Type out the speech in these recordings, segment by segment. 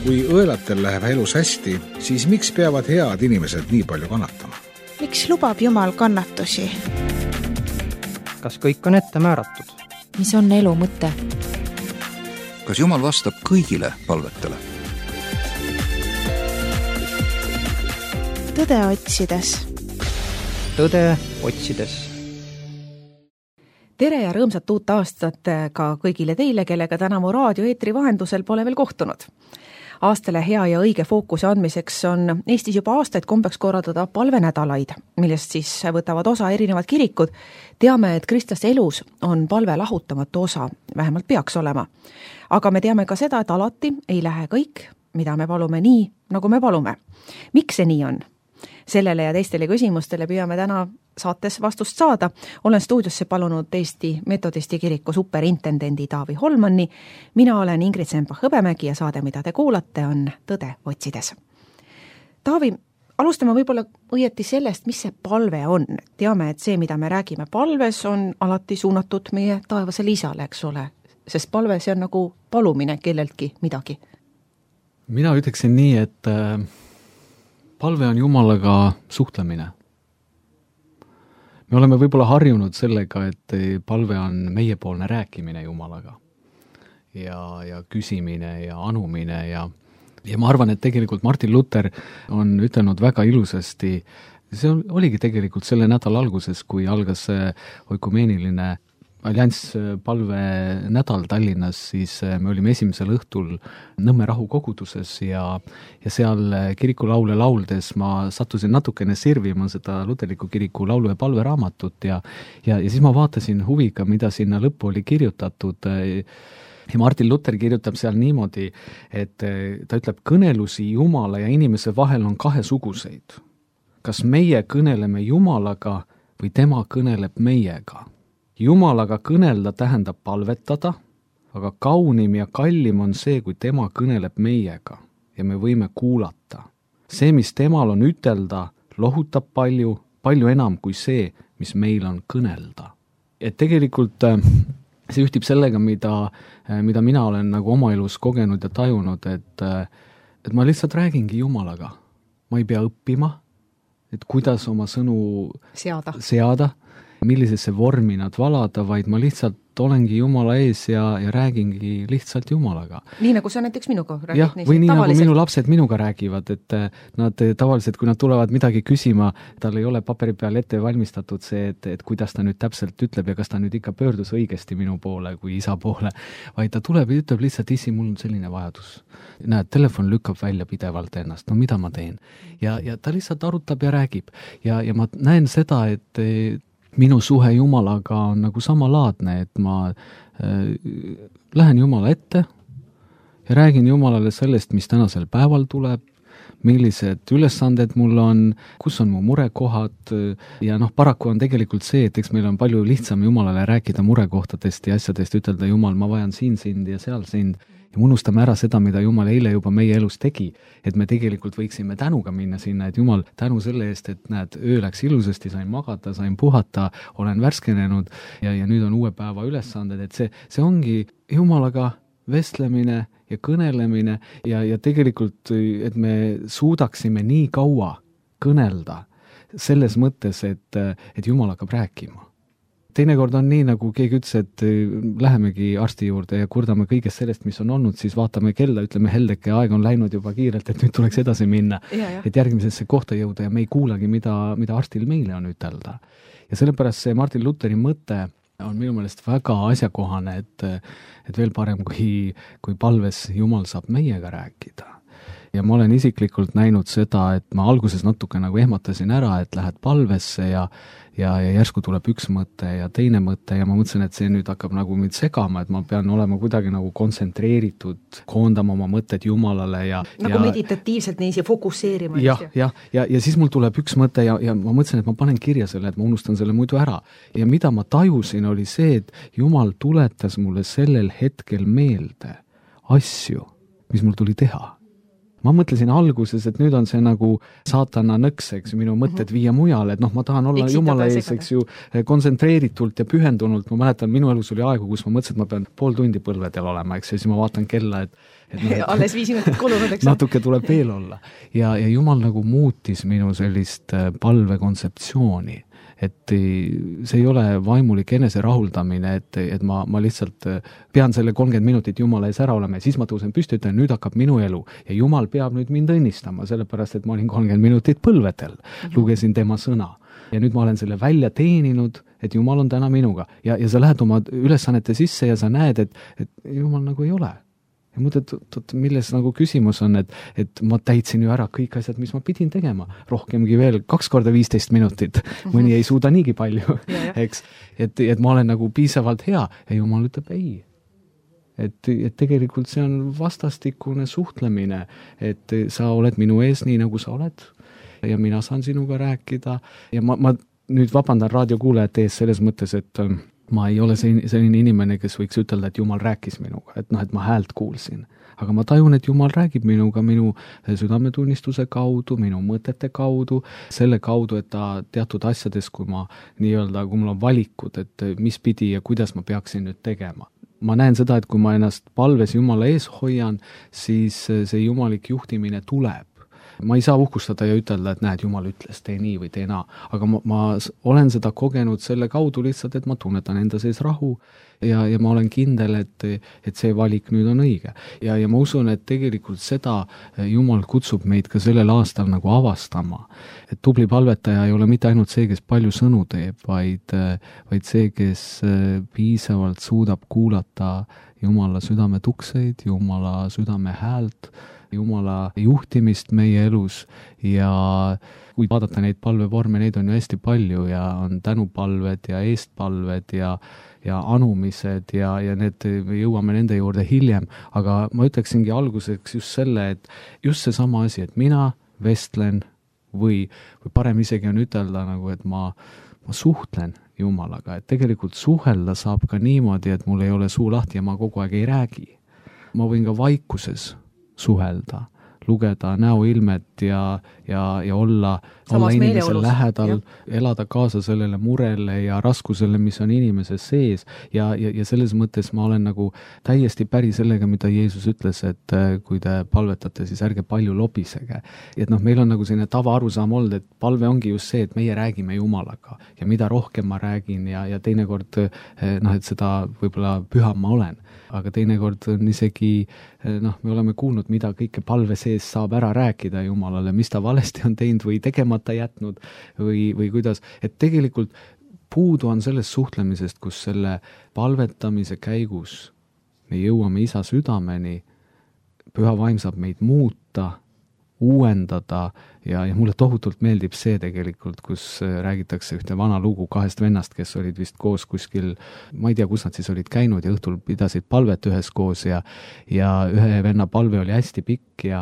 Kui õelatel läheb elus hästi, siis miks peavad head inimesed nii palju kannatama? Miks lubab Jumal kannatusi? Kas kõik on ette määratud? Mis on elu mõte? Kas Jumal vastab kõigile palvetele? Tõde otsides. Tõde otsides. Tere ja rõõmsat uut aastat ka kõigile teile, kellega tänavu raadioeetri vahendusel pole veel kohtunud. Aastale hea ja õige fookuse andmiseks on Eestis juba aastaid kombeks korraldada palvenädalaid, millest siis võtavad osa erinevad kirikud. Teame, et kristlaste elus on palve lahutamatu osa, vähemalt peaks olema. Aga me teame ka seda, et alati ei lähe kõik, mida me palume nii, nagu me palume. Miks see nii on? Sellele ja teistele küsimustele püüame täna saates vastust saada. Olen stuudiosse palunud Eesti Metodisti kiriku superintendendi Taavi Holmanni. Mina olen Ingrid Sempa-Hõbemägi ja saade, mida te kuulate, on Tõde otsides. Taavi, alustame võib-olla õieti sellest, mis see palve on. Teame, et see, mida me räägime palves, on alati suunatud meie taevasele isale, eks ole. Sest palve, see on nagu palumine kelleltki midagi. Mina ütleksin nii, et palve on Jumalaga suhtlemine. Me oleme võib-olla harjunud sellega, et palve on meiepoolne rääkimine Jumalaga ja küsimine ja anumine ja ma arvan, et tegelikult Martin Luther on ütelnud väga ilusasti, see oligi tegelikult selle nädala alguses, kui algas oikumeeniline allianss palve nädal Tallinnas, siis me olime esimesel õhtul Nõmme rahukoguduses ja seal kirikulaule lauldes ma sattusin natukene sirvima seda luterliku kiriku laulu- ja palveraamatut ja siis ma vaatasin huviga, mida sinna lõppu oli kirjutatud. Ja Martin Luther kirjutab seal niimoodi, et ta ütleb, kõnelusi Jumala ja inimese vahel on kahesuguseid. Kas meie kõneleme Jumalaga või tema kõneleb meiega? Jumalaga kõnelda tähendab palvetada, aga kaunim ja kallim on see, kui tema kõneleb meiega ja me võime kuulata. See, mis temal on ütelda, lohutab palju enam kui see, mis meil on kõnelda. Et tegelikult see ühtib sellega, mida mina olen nagu oma elus kogenud ja tajunud, et ma lihtsalt räägingi Jumalaga. Ma ei pea õppima, et kuidas oma sõnu seada, millisesse vormi nad valada, vaid ma lihtsalt olengi Jumala ees ja räägingi lihtsalt Jumalaga. Nii nagu sa näiteks minuga räägid? Jah, või nii tavaliselt, nagu minu lapsed minuga räägivad, et nad tavaliselt, kui nad tulevad midagi küsima, tal ei ole paberi peal ette valmistatud see, et kuidas ta nüüd täpselt ütleb ja kas ta nüüd ikka pöördus õigesti minu poole kui isa poole, vaid ta tuleb ja ütleb lihtsalt, isi, mul on selline vajadus. Näed, telefon lükkab välja pidevalt ennast, no mida ma teen? Ja ta lihtsalt arutab ja räägib. Ja ma näen seda, et minu suhe Jumalaga on nagu samalaadne, et ma lähen Jumala ette ja räägin Jumalale sellest, mis tänasel päeval tuleb, millised ülesanded mul on, kus on mu murekohad ja paraku on tegelikult see, et eks meil on palju lihtsam Jumalale rääkida murekohtadest ja asjadest, ütelda Jumal, ma vajan siin sind ja seal sind ja me unustame ära seda, mida Jumal eile juba meie elus tegi, et me tegelikult võiksime tänuga minna sinna, et Jumal, tänu selle eest, et näed, öö läks ilusasti, sain magada, sain puhata, olen värskenenud ja nüüd on uue päeva ülesanded, et see ongi Jumalaga vestlemine ja kõnelemine ja tegelikult, et me suudaksime nii kaua kõnelda selles mõttes, et Jumal hakkab rääkima. Teinekord on nii, nagu keegi ütles, et lähemegi arsti juurde ja kurdame kõigest sellest, mis on olnud, siis vaatame kella, ütleme heldeke, aeg on läinud juba kiirelt, et nüüd tuleks edasi minna, et järgmisesse kohta jõuda ja me ei kuulagi, mida arstil meile on ütelda. Ja sellepärast see Martin Lutheri mõte on minu meelest väga asjakohane, et veel parem, kui palves Jumal saab meiega rääkida. Ja ma olen isiklikult näinud seda, et ma alguses natuke nagu ehmatasin ära, et lähed palvesse ja järsku tuleb üks mõte ja teine mõte ja ma mõtlesin, et see nüüd hakkab nagu mind segama, et ma pean olema kuidagi nagu kontsentreeritud, koondama oma mõtted Jumalale nagu meditatiivselt niiviisi fokusseerima. Ja siis mul tuleb üks mõte ja ma mõtlesin, et ma panen kirja selle, et ma unustan selle muidu ära. Ja mida ma tajusin, oli see, et Jumal tuletas mulle sellel hetkel meelde asju, mis mul tuli teha. ma mõtlesin alguses, et nüüd on see nagu saatana nõks, eks ju, minu mõtted viia mujale, et noh, ma tahan olla Jumala ees, eks ju, kontsentreeritult ja pühendunult. Ma mäletan, minu elus oli aegu, kus ma mõtlesin, et ma pean pool tundi põlvedel olema, eks ju, siis ma vaatan kella, et alles 5 minutit kulunud, eks. natuke tuleb veel olla. Ja Jumal nagu muutis minu sellist palve kontseptsiooni, et see ei ole vaimulik enese rahuldamine, et ma lihtsalt pean selle 30 minutit Jumala ees ära olema ja siis ma tõusen püsti, ütlen, nüüd hakkab minu elu ja Jumal peab nüüd mind õnnistama, sellepärast et ma olin 30 minutit põlvedel, lugesin tema sõna ja nüüd ma olen selle välja teeninud, et Jumal on täna minuga ja sa lähed oma ülesannete sisse ja sa näed, et Jumal nagu ei ole. Ja mõtled, milles nagu küsimus on, et ma täitsin ju ära kõik asjad, mis ma pidin tegema. Rohkemgi veel 2 korda 15 minutit. Mõni ei suuda niigi palju, eks. Et ma olen nagu piisavalt hea ja Jumal ütleb ei. Et tegelikult see on vastastikune suhtlemine, et sa oled minu ees nii, nagu sa oled ja mina saan sinuga rääkida. Ja ma nüüd vabandan raadiokuulajate ees selles mõttes, et ma ei ole selline inimene, kes võiks ütelda, et Jumal rääkis minuga, et ma häält kuulsin. Aga ma tajun, et Jumal räägib minuga minu südametunnistuse kaudu, minu mõtete kaudu, selle kaudu, et ta teatud asjades, kui mul on valikud, et mis pidi ja kuidas ma peaksin nüüd tegema. Ma näen seda, et kui ma ennast palves Jumala ees hoian, siis see jumalik juhtimine tuleb. Ma ei saa uhkustada ja ütelda, et näed, Jumal ütles, tee nii või tee naa. Aga ma olen seda kogenud selle kaudu lihtsalt, et ma tunnetan enda sees rahu ja ma olen kindel, et see valik nüüd on õige. Ja ma usun, et tegelikult seda Jumal kutsub meid ka sellel aastal nagu avastama. Et tubli palvetaja ei ole mitte ainult see, kes palju sõnu teeb, vaid see, kes piisavalt suudab kuulata Jumala südame tukseid, Jumala südame häält, Jumala juhtimist meie elus ja kui vaadata neid palvevorme, neid on ju hästi palju ja on tänupalved ja eestpalved ja anumised ja need, me jõuame nende juurde hiljem, aga ma ütleksingi alguseks just selle, et just see sama asi, et mina vestlen või parem isegi on ütelda nagu, et ma suhtlen Jumalaga, et tegelikult suhelda saab ka niimoodi, et mul ei ole suu lahti ja ma kogu aeg ei räägi. Ma võin ka vaikuses suhelda, lugeda näoilmet ja olla inimese lähedal, elada kaasa sellele murele ja raskusele, mis on inimese sees ja selles mõttes ma olen nagu täiesti päri sellega, mida Jeesus ütles, et kui te palvetate, siis ärge palju lobisege. Et meil on nagu selline tavaarusaam olnud, et palve ongi just see, et meie räägime Jumalaga ja mida rohkem ma räägin ja teinekord, et seda võib-olla püham ma olen. Aga teinekord on isegi, me oleme kuulnud, mida kõike palve sees saab ära rääkida Jumalale, mis ta valesti on teinud või tegemata jätnud või kuidas. Et tegelikult puudu on sellest suhtlemisest, kus selle palvetamise käigus me jõuame Isa südameni, Püha Vaim saab meid muuta, uuendada ja mulle tohutult meeldib see tegelikult, kus räägitakse ühte vana lugu 2 vennast, kes olid vist koos kuskil, ma ei tea, kus nad siis olid käinud ja õhtul pidasid palvet üheskoos ja ühe venna palve oli hästi pikk ja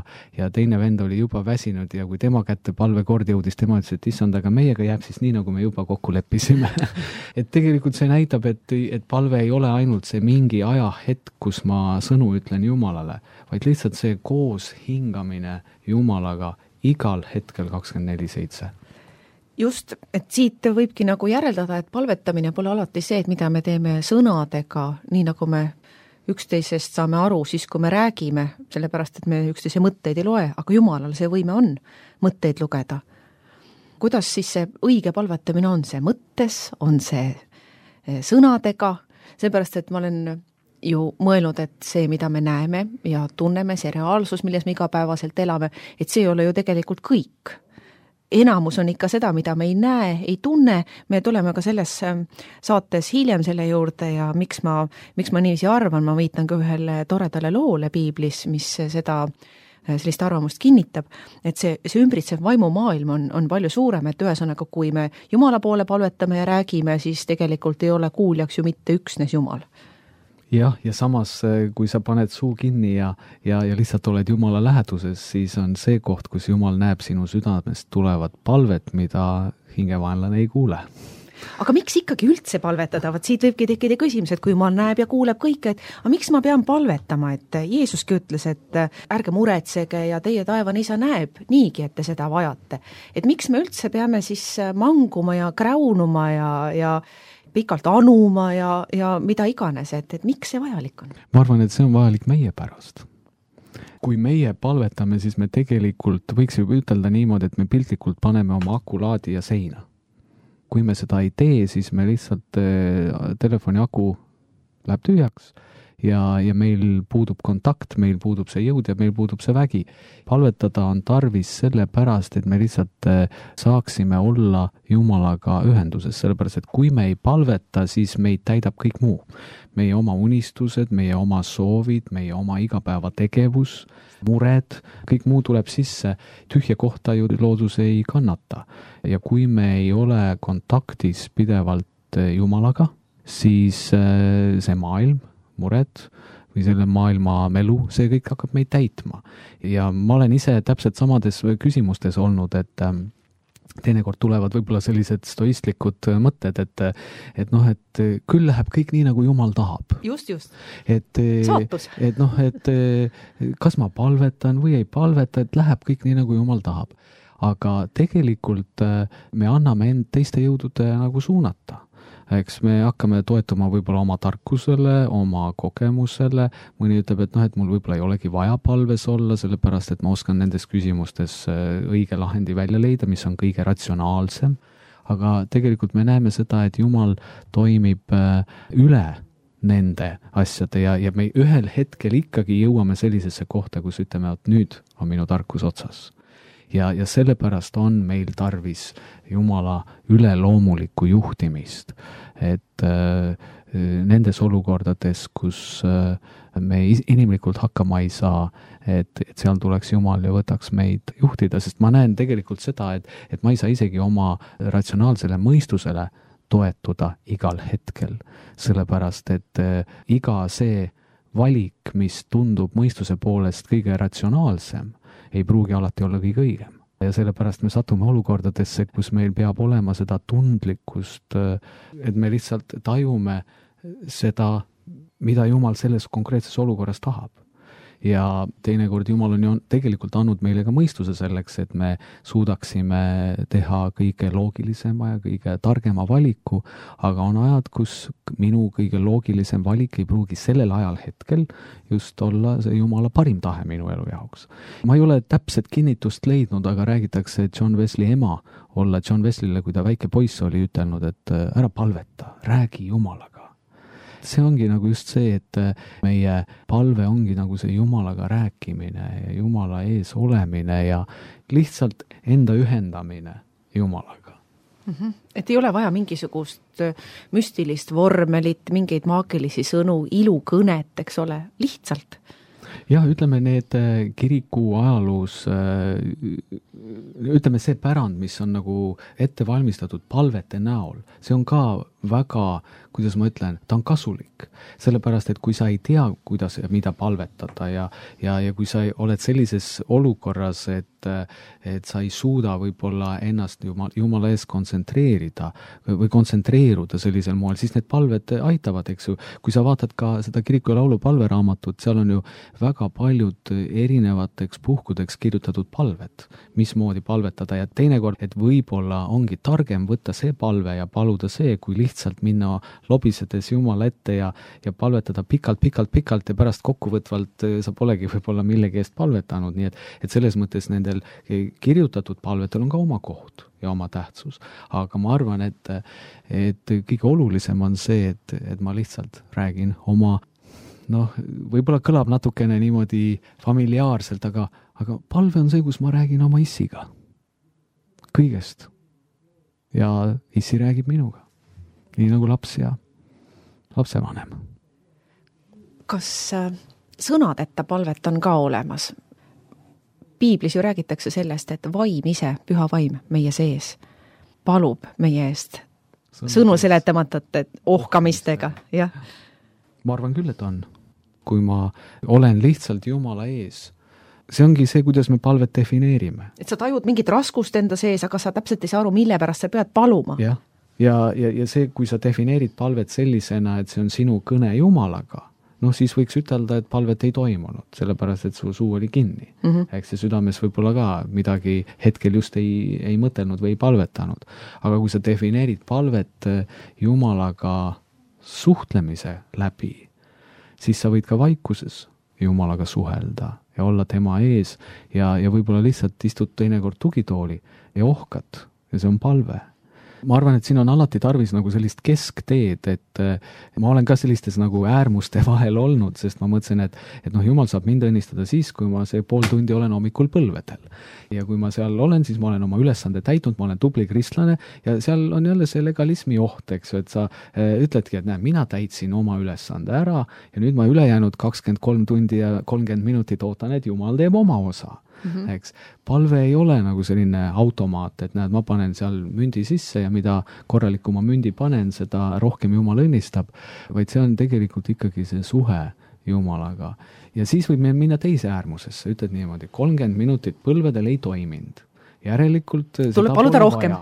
teine vend oli juba väsinud ja kui tema kätte palvekord jõudis, tema ütles, et issand, aga meiega jääb siis nii, nagu me juba kokku leppisime. Et tegelikult see näitab, et palve ei ole ainult see mingi ajahetk, kus ma sõnu ütlen Jumalale, vaid lihtsalt see koos hingamine Jumalaga igal hetkel 24/7. Just, et siit võibki nagu järeldada, et palvetamine pole alati see, et mida me teeme sõnadega, nii nagu me üksteisest saame aru siis, kui me räägime, sellepärast, et me üksteise mõtteid ei loe, aga Jumalal see võime on mõtteid lugeda. Kuidas siis see õige palvetamine on? See mõttes, on see sõnadega, seepärast, et ma olen ju mõelnud, et see, mida me näeme ja tunneme, see reaalsus, milles me igapäevaselt elame, et see ei ole ju tegelikult kõik. Enamus on ikka seda, mida me ei näe, ei tunne, me tuleme ka selles saates hiljem selle juurde ja miks ma niiviisi arvan, ma viitan ka ühele toredale loole piiblis, mis sellist arvamust kinnitab, et see ümbritsev vaimumaailm on palju suurem, et ühesõnaga, kui me Jumala poole palvetame ja räägime, siis tegelikult ei ole kuuljaks ju mitte üksnes Jumal. Jah, ja samas, kui sa paned suu kinni ja lihtsalt oled Jumala läheduses, siis on see koht, kus Jumal näeb sinu südamest tulevat palvet, mida hingevaenlane ei kuule. aga miks ikkagi üldse palvetada? Vaat siit võibki tekkida küsimus, et kui Jumal näeb ja kuuleb kõike, et aga miks ma pean palvetama, et Jeesuski ütles, et ärge muretsege ja teie taevane isa näeb niigi, et te seda vajate. Et miks me üldse peame siis manguma ja kräunuma ja pikalt anuma ja mida iganes, et miks see vajalik on? Ma arvan, et see on vajalik meie pärast. Kui meie palvetame, siis me tegelikult võiks ju ütelda niimoodi, et me piltlikult paneme oma akulaadi ja seina. Kui me seda ei tee, siis me lihtsalt telefoni aku läheb tühjaks ja meil puudub kontakt, meil puudub see jõud ja meil puudub see vägi. Palvetada on tarvis selle pärast, et me lihtsalt saaksime olla Jumalaga ühenduses, sellepärast, et kui me ei palveta, siis meid täidab kõik muu. Meie oma unistused, meie oma soovid, meie oma igapäeva tegevus, mured, kõik muu tuleb sisse. Tühja kohta ju loodus ei kannata. Ja kui me ei ole kontaktis pidevalt Jumalaga, siis see maailm, mured või selle maailma melu, see kõik hakkab meid täitma. Ja ma olen ise täpselt samades küsimustes olnud, et teinekord tulevad võib-olla sellised stoistlikud mõtted, et küll läheb kõik nii, nagu Jumal tahab. Just. Saatus. Et kas ma palvetan või ei palveta, et läheb kõik nii, nagu Jumal tahab. Aga tegelikult me anname end teiste jõudude nagu suunata. Eks me hakkame toetuma võib-olla oma tarkusele, oma kogemusele, mõni ütleb, et mul võib-olla ei olegi vaja palves olla, sellepärast et ma oskan nendes küsimustes õige lahendi välja leida, mis on kõige ratsionaalsem, aga tegelikult me näeme seda, et Jumal toimib üle nende asjade ja me ühel hetkel ikkagi jõuame sellisesse kohta, kus ütleme, et nüüd on minu tarkus otsas. Ja sellepärast on meil tarvis Jumala üleloomulikku juhtimist, et nendes olukordades, kus me inimlikult hakkama ei saa, et seal tuleks Jumal ja võtaks meid juhtida, sest ma näen tegelikult seda, et ma ei saa isegi oma ratsionaalsele mõistusele toetuda igal hetkel, sellepärast et iga see valik, mis tundub mõistuse poolest kõige ratsionaalsem, ei pruugi alati olla kõige õigem. Ja sellepärast me satume olukordadesse, kus meil peab olema seda tundlikkust, et me lihtsalt tajume seda, mida Jumal selles konkreetses olukorras tahab. Ja teinekord Jumal on ju tegelikult andnud meile ka mõistuse selleks, et me suudaksime teha kõige loogilisema ja kõige targema valiku, aga on ajad, kus minu kõige loogilisem valik ei pruugi sellel ajal hetkel just olla see Jumala parim tahe minu elu jaoks. Ma ei ole täpset kinnitust leidnud, aga räägitakse John Wesley ema olla John Wesley'le, kui ta väike poiss oli ütelnud, et ära palveta, räägi Jumalaga. See ongi nagu just see, et meie palve ongi nagu see Jumalaga rääkimine ja Jumala ees olemine ja lihtsalt enda ühendamine Jumalaga. Et ei ole vaja mingisugust müstilist vormelit, mingeid maagilisi sõnu, ilukõnet, eks ole, lihtsalt. Jah, ütleme need kiriku ajaloos, ütleme see pärand, mis on nagu ette valmistatud palvete näol, see on ka väga, kuidas ma ütlen, ta on kasulik. Sellepärast, et kui sa ei tea, kuidas ja mida palvetada ja kui sa oled sellises olukorras, et sa ei suuda võib-olla ennast Jumala ees kontsentreerida või kontsentreeruda sellisel moel, siis need palved aitavad, eks ju. Kui sa vaatad ka seda kiriku ja laulu palveraamatut, seal on ju väga paljud erinevateks puhkudeks kirjutatud palved, mismoodi palvetada ja teinekord, et võib-olla ongi targem võtta see palve ja paluda see, kui lihtsalt minna lobisedes Jumala ette ja palvetada pikalt ja pärast kokkuvõtvalt sa polegi võib-olla millegi eest palvetanud, nii et selles mõttes nendel kirjutatud palvetel on ka oma koht ja oma tähtsus. Aga ma arvan, et kõige olulisem on see, et ma lihtsalt räägin oma, võib-olla kõlab natukene niimoodi familiaarselt, aga palve on see, kus ma räägin oma issiga. Kõigest. Ja issi räägib minuga. Nii nagu laps ja lapsevanem. Kas sõnadeta palvet on ka olemas? Piiblis ju räägitakse sellest, et vaim ise, püha vaim meie sees, palub meie eest sõnu seletamatute ohkamistega. Jah. Ma arvan küll, et on. Kui ma olen lihtsalt Jumala ees, see ongi see, kuidas me palvet defineerime. Et sa tajud mingit raskust enda sees, aga sa täpselt ei saa aru, mille pärast sa pead paluma. Jah. ja see, kui sa defineerid palvet sellisena, et see on sinu kõne Jumalaga, siis võiks ütelda, et palvet ei toimunud, sellepärast, et su suu oli kinni. Eks see südames võib-olla ka midagi hetkel just ei mõtelnud või ei palvetanud. Aga kui sa defineerid palvet Jumalaga suhtlemise läbi, siis sa võid ka vaikuses Jumalaga suhelda ja olla tema ees ja võib-olla lihtsalt istud teinekord tugitooli ja ohkad ja see on palve. Ma arvan, et siin on alati tarvis nagu sellist keskteed, et ma olen ka sellistes nagu äärmuste vahel olnud, sest ma mõtlesin, et Jumal saab mind õnnistada siis, kui ma see pool tundi olen hommikul põlvedel. Ja kui ma seal olen, siis ma olen oma ülesande täitnud, ma olen tubli kristlane ja seal on jälle see legalismi oht, eks ju, et sa ütledki, et mina täitsin oma ülesande ära ja nüüd ma ülejäänud 23 tundi ja 30 minutit ootan, et Jumal teeb oma osa. Eks. Palve ei ole nagu selline automaat, et ma panen seal mündi sisse ja mida korralikuma mündi panen, seda rohkem Jumal õnnistab, vaid see on tegelikult ikkagi see suhe Jumalaga. Ja siis võib minna teise äärmusesse, ütled niimoodi, 30 minutit põlvedel ei toiminud. Järelikult tuleb paluda rohkem.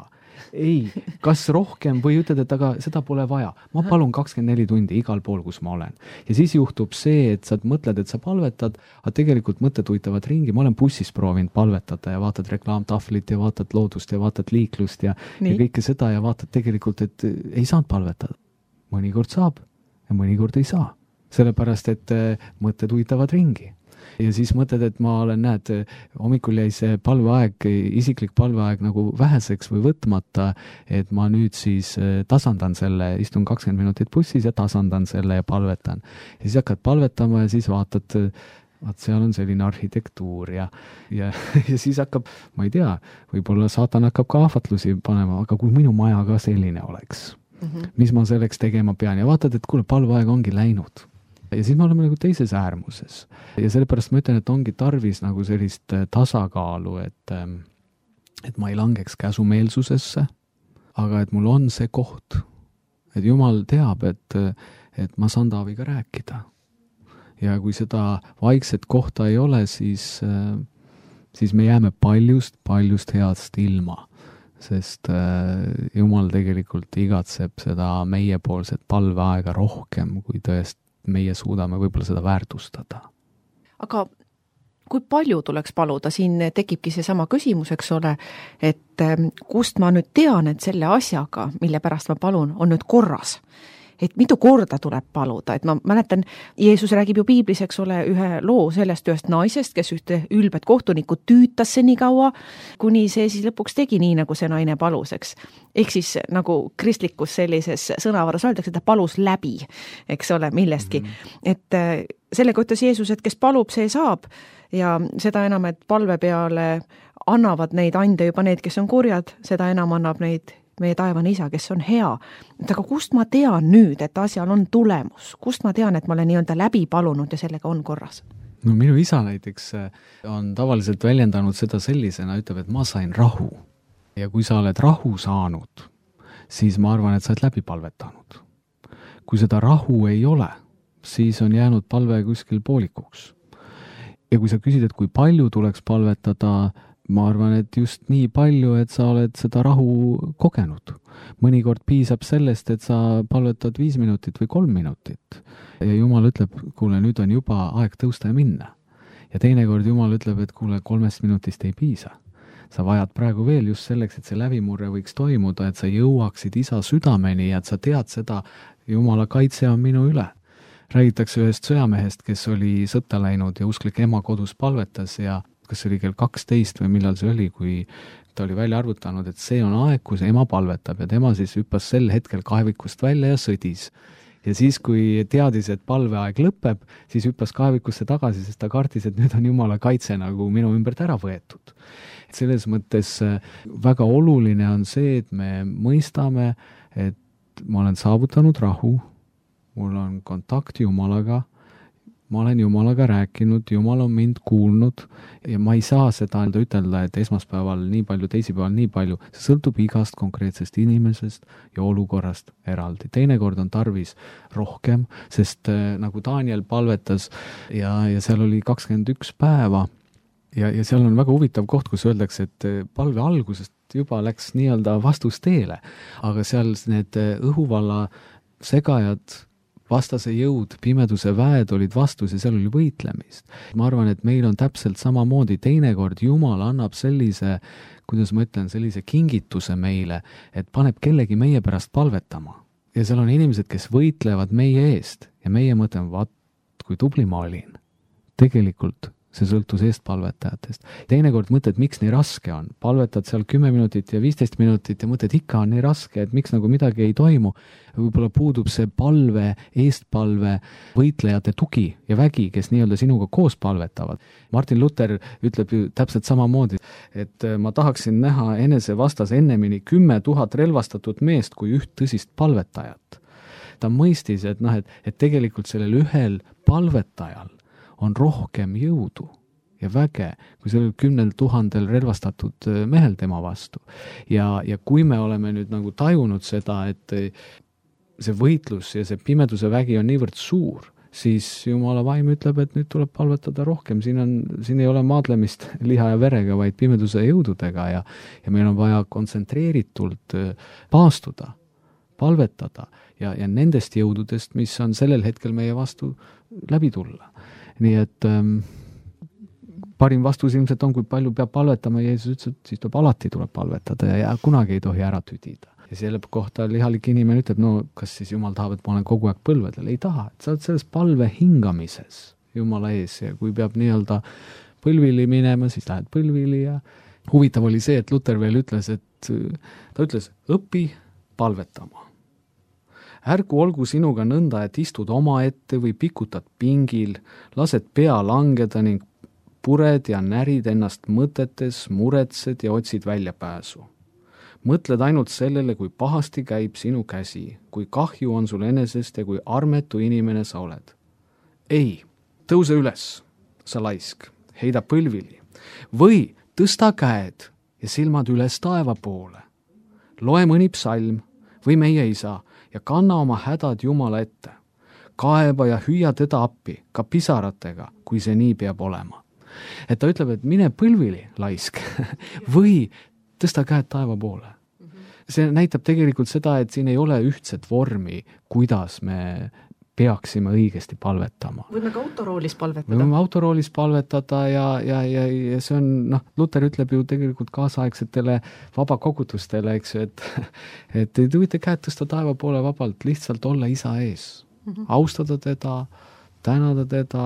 Ei, kas rohkem või ütled, et aga seda pole vaja. Ma palun 24 tundi igal pool, kus ma olen. Ja siis juhtub see, et sa mõtled, et sa palvetad, aga tegelikult mõtted uitavad ringi. Ma olen bussis proovinud palvetada ja vaatad reklaamtahvlit ja vaatad loodust ja vaatad liiklust ja kõike seda ja vaatad tegelikult, et ei saanud palvetada. Mõnikord saab ja mõnikord ei saa. Sellepärast, et mõtted uitavad ringi. Ja siis mõtled, et ma olen, hommikul jäi see palveaeg, isiklik palveaeg nagu väheseks või võtmata, et ma nüüd siis tasandan selle, istun 20 minutit bussis ja tasandan selle ja palvetan. Ja siis hakkad palvetama ja siis vaatad, seal on selline arhitektuur ja siis hakkab, ma ei tea, võib-olla saatan hakkab ka ahvatlusi panema, aga kui minu maja ka selline oleks, mis ma selleks tegema pean ja vaatad, et kuule, palveaeg ongi läinud. Ja siis me oleme nagu teises äärmuses. Ja sellepärast ma ütlen, et ongi tarvis nagu sellist tasakaalu, et ma ei langeks käsumeelsusesse, aga et mul on see koht. Et Jumal teab, et ma saan Taaviga rääkida. Ja kui seda vaikset kohta ei ole, siis me jääme paljust heast ilma. Sest Jumal tegelikult igatseb seda meiepoolset palveaega rohkem, kui tõesti meie suudame võib-olla seda väärtustada. Aga kui palju tuleks paluda, siin tekibki see sama küsimus, eks ole, et kust ma nüüd tean, et selle asjaga, mille pärast ma palun, on nüüd korras. Et mitu korda tuleb paluda, et ma mäletan, Jeesus räägib ju piiblis, eks ole, ühe loo sellest ühest naisest, kes ühte ülbet kohtunikku tüütas see nii kaua, kuni see siis lõpuks tegi nii, nagu see naine palus, eks. Ehk siis nagu kristlikus sellises sõnavarus öeldakse, ta palus läbi, eks ole, millestki. Et sellega ütles Jeesus, et kes palub, see saab ja seda enam, et palve peale annavad neid ande juba need, kes on kurjad, seda enam annab neid meie taevane isa, kes on hea. Aga kust ma tean nüüd, et asjal on tulemus? Kust ma tean, et ma olen nii-öelda läbi palunud ja sellega on korras? No minu isa näiteks on tavaliselt väljendanud seda sellisena, ütleb, et ma sain rahu. Ja kui sa oled rahu saanud, siis ma arvan, et sa oled läbi palvetanud. Kui seda rahu ei ole, siis on jäänud palve kuskil poolikuks. Ja kui sa küsid, et kui palju tuleks palvetada, ma arvan, et just nii palju, et sa oled seda rahu kogenud. Mõnikord piisab sellest, et sa palvetad 5 minutit või 3 minutit. Ja Jumal ütleb, kuule, nüüd on juba aeg tõusta ja minna. Ja teinekord Jumal ütleb, et kuule, 3 minutist ei piisa. Sa vajad praegu veel just selleks, et see läbimurre võiks toimuda, et sa jõuaksid isa südameni ja et sa tead seda, Jumala kaitse on minu üle. Räägitakse ühest sõjamehest, kes oli sõtta läinud ja usklik ema kodus palvetas ja kas oli kell 12 või millal see oli, kui ta oli välja arvutanud, et see on aeg, kus ema palvetab ja tema siis hüppas sel hetkel kaevikust välja ja sõdis. Ja siis, kui teadis, et palveaeg lõpeb, siis hüppas kaevikusse tagasi, sest ta kartis, et nüüd on Jumala kaitse nagu minu ümbert ära võetud. Selles mõttes väga oluline on see, et me mõistame, et ma olen saavutanud rahu, mul on kontakt Jumalaga, ma olen Jumalaga rääkinud, Jumal on mind kuulnud ja ma ei saa seda ütelda, et esmaspäeval nii palju, teisipäeval nii palju. See sõltub igast konkreetsest inimesest ja olukorrast eraldi. Teinekord on tarvis rohkem, sest nagu Daniel palvetas ja seal oli 21 päeva ja seal on väga huvitav koht, kus öeldakse, et palve algusest juba läks nii-öelda vastusteele, aga seal need õhuvalla segajad, vastase jõud, pimeduse väed olid vastus ja seal oli võitlemist. Ma arvan, et meil on täpselt samamoodi, teinekord Jumal annab sellise, kuidas ma ütlen, sellise kingituse meile, et paneb kellegi meie pärast palvetama. Ja seal on inimesed, kes võitlevad meie eest ja meie mõtleme, vaat, kui tubli ma olin. Tegelikult see sõltus eestpalvetajatest. Teinekord mõtled, miks nii raske on. Palvetad seal 10 minutit ja 15 minutit ja mõtled, ikka on nii raske, et miks nagu midagi ei toimu. Võib-olla puudub see palve, eestpalve, võitlejate tugi ja vägi, kes nii-öelda sinuga koos palvetavad. Martin Luther ütleb ju täpselt samamoodi, et ma tahaksin näha enese vastas ennemini 10 000 relvastatud meest kui üht tõsist palvetajat. Ta mõistis, et tegelikult sellel ühel palvetajal on rohkem jõudu ja väge, kui sellel 10 000 relvastatud mehel tema vastu. Ja kui me oleme nüüd nagu tajunud seda, et see võitlus ja see pimeduse vägi on niivõrd suur, siis Jumala vaim ütleb, et nüüd tuleb palvetada rohkem. Siin ei ole maadlemist liha ja verega, vaid pimeduse jõududega ja meil on vaja kontsentreeritult paastuda, palvetada ja nendest jõududest, mis on sellel hetkel meie vastu läbi tulla. Nii et parim vastus ilmselt on, kui palju peab palvetama, Jeesus ütles, et siis alati tuleb palvetada ja kunagi ei tohi ära tüdida. Ja selle kohta lihalik inimene ütleb, no kas siis Jumal tahab, et ma olen kogu aeg põlvedel? Ei taha, et sa oled selles palve hingamises Jumala ees ja kui peab nii-öelda põlvili minema, siis lähed põlvili ja huvitav oli see, et Luther veel ütles, et ta ütles, õpi palvetama. Ärgu olgu sinuga nõnda, et istud oma ette või pikutad pingil, lased pea langeda ning pured ja närid ennast mõtetes, muretsed ja otsid väljapääsu. Mõtled ainult sellele, kui pahasti käib sinu käsi, kui kahju on sul enesest ja kui armetu inimene sa oled. Ei, tõuse üles, sa laisk, heida põlvili või tõsta käed ja silmad üles taeva poole. Loe mõni psalm või meie isa ja kanna oma hädad Jumala ette. Kaeba ja hüüa teda appi, ka pisaratega, kui see nii peab olema. Et ta ütleb, et mine põlvili, laisk, või tõsta käed taeva poole. See näitab tegelikult seda, et siin ei ole ühtset vormi, kuidas me peaksime õigesti palvetama. Võime ka autoroolis palvetada. Võime autoroolis palvetada ja see on, Luther ütleb ju tegelikult kaasaegsetele vabakogutustele, eks ju, et te võite käed tõsta taeva poole vabalt, lihtsalt olla isa ees. Austada teda, tänada teda,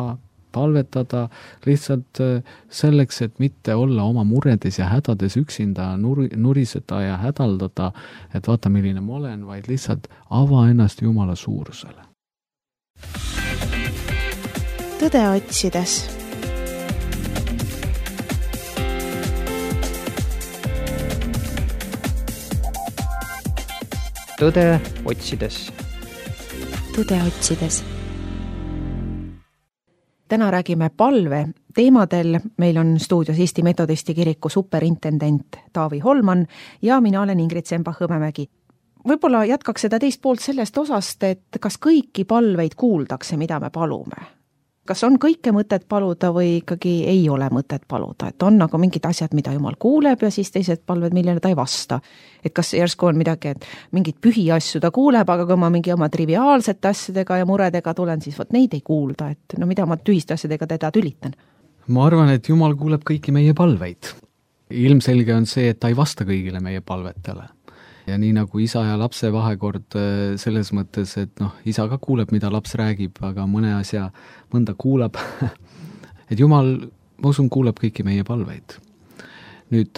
palvetada lihtsalt selleks, et mitte olla oma muredes ja hädades üksinda nuriseda ja hädaldada, et vaata, milline ma olen, vaid lihtsalt ava ennast Jumala suurusele. Tõde otsides. Tõde otsides. Tõde otsides. Täna räägime palve teemadel. Meil on stuudios Eesti Metodisti kiriku superintendent Taavi Holman ja mina olen Ingrid Sembach-Hõbemägi. Võib-olla jätkaks seda teist poolt sellest osast, et kas kõiki palveid kuuldakse, mida me palume? Kas on kõike mõtet paluda või ikkagi ei ole mõtet paluda? Et on nagu mingid asjad, mida Jumal kuuleb ja siis teised palved, millele ta ei vasta. Et kas järsku on midagi, et mingid pühi asju ta kuuleb, aga kui ma mingi oma triviaalsete asjadega ja muredega tulen, siis neid ei kuulda. Et mida ma tühiste asjadega teda tülitan? Ma arvan, et Jumal kuuleb kõiki meie palveid. Ilmselge on see, et ta ei vasta kõigile meie palvetele. Ja nii nagu isa ja lapse vahekord selles mõttes, et isa ka kuuleb, mida laps räägib, aga mõnda kuulab. Et Jumal, ma usun, kuuleb kõiki meie palveid. Nüüd,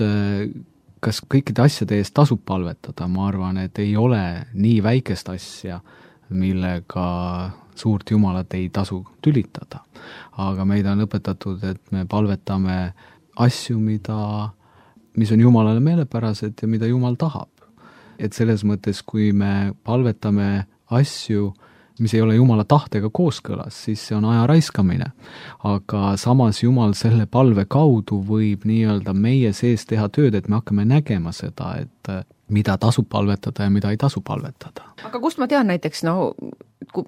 kas kõikide asjade eest tasub palvetada? Ma arvan, et ei ole nii väikest asja, millega suurt Jumalat ei tasu tülitada. Aga meid on õpetatud, et me palvetame asju, mis on Jumalale meelepärased ja mida Jumal tahab. Et selles mõttes, kui me palvetame asju, mis ei ole Jumala tahtega kooskõlas, siis see on aja raiskamine. Aga samas Jumal selle palve kaudu võib nii-öelda meie sees teha tööd, et me hakkame nägema seda, et mida tasub palvetada ja mida ei tasu palvetada. Aga kust ma tean näiteks,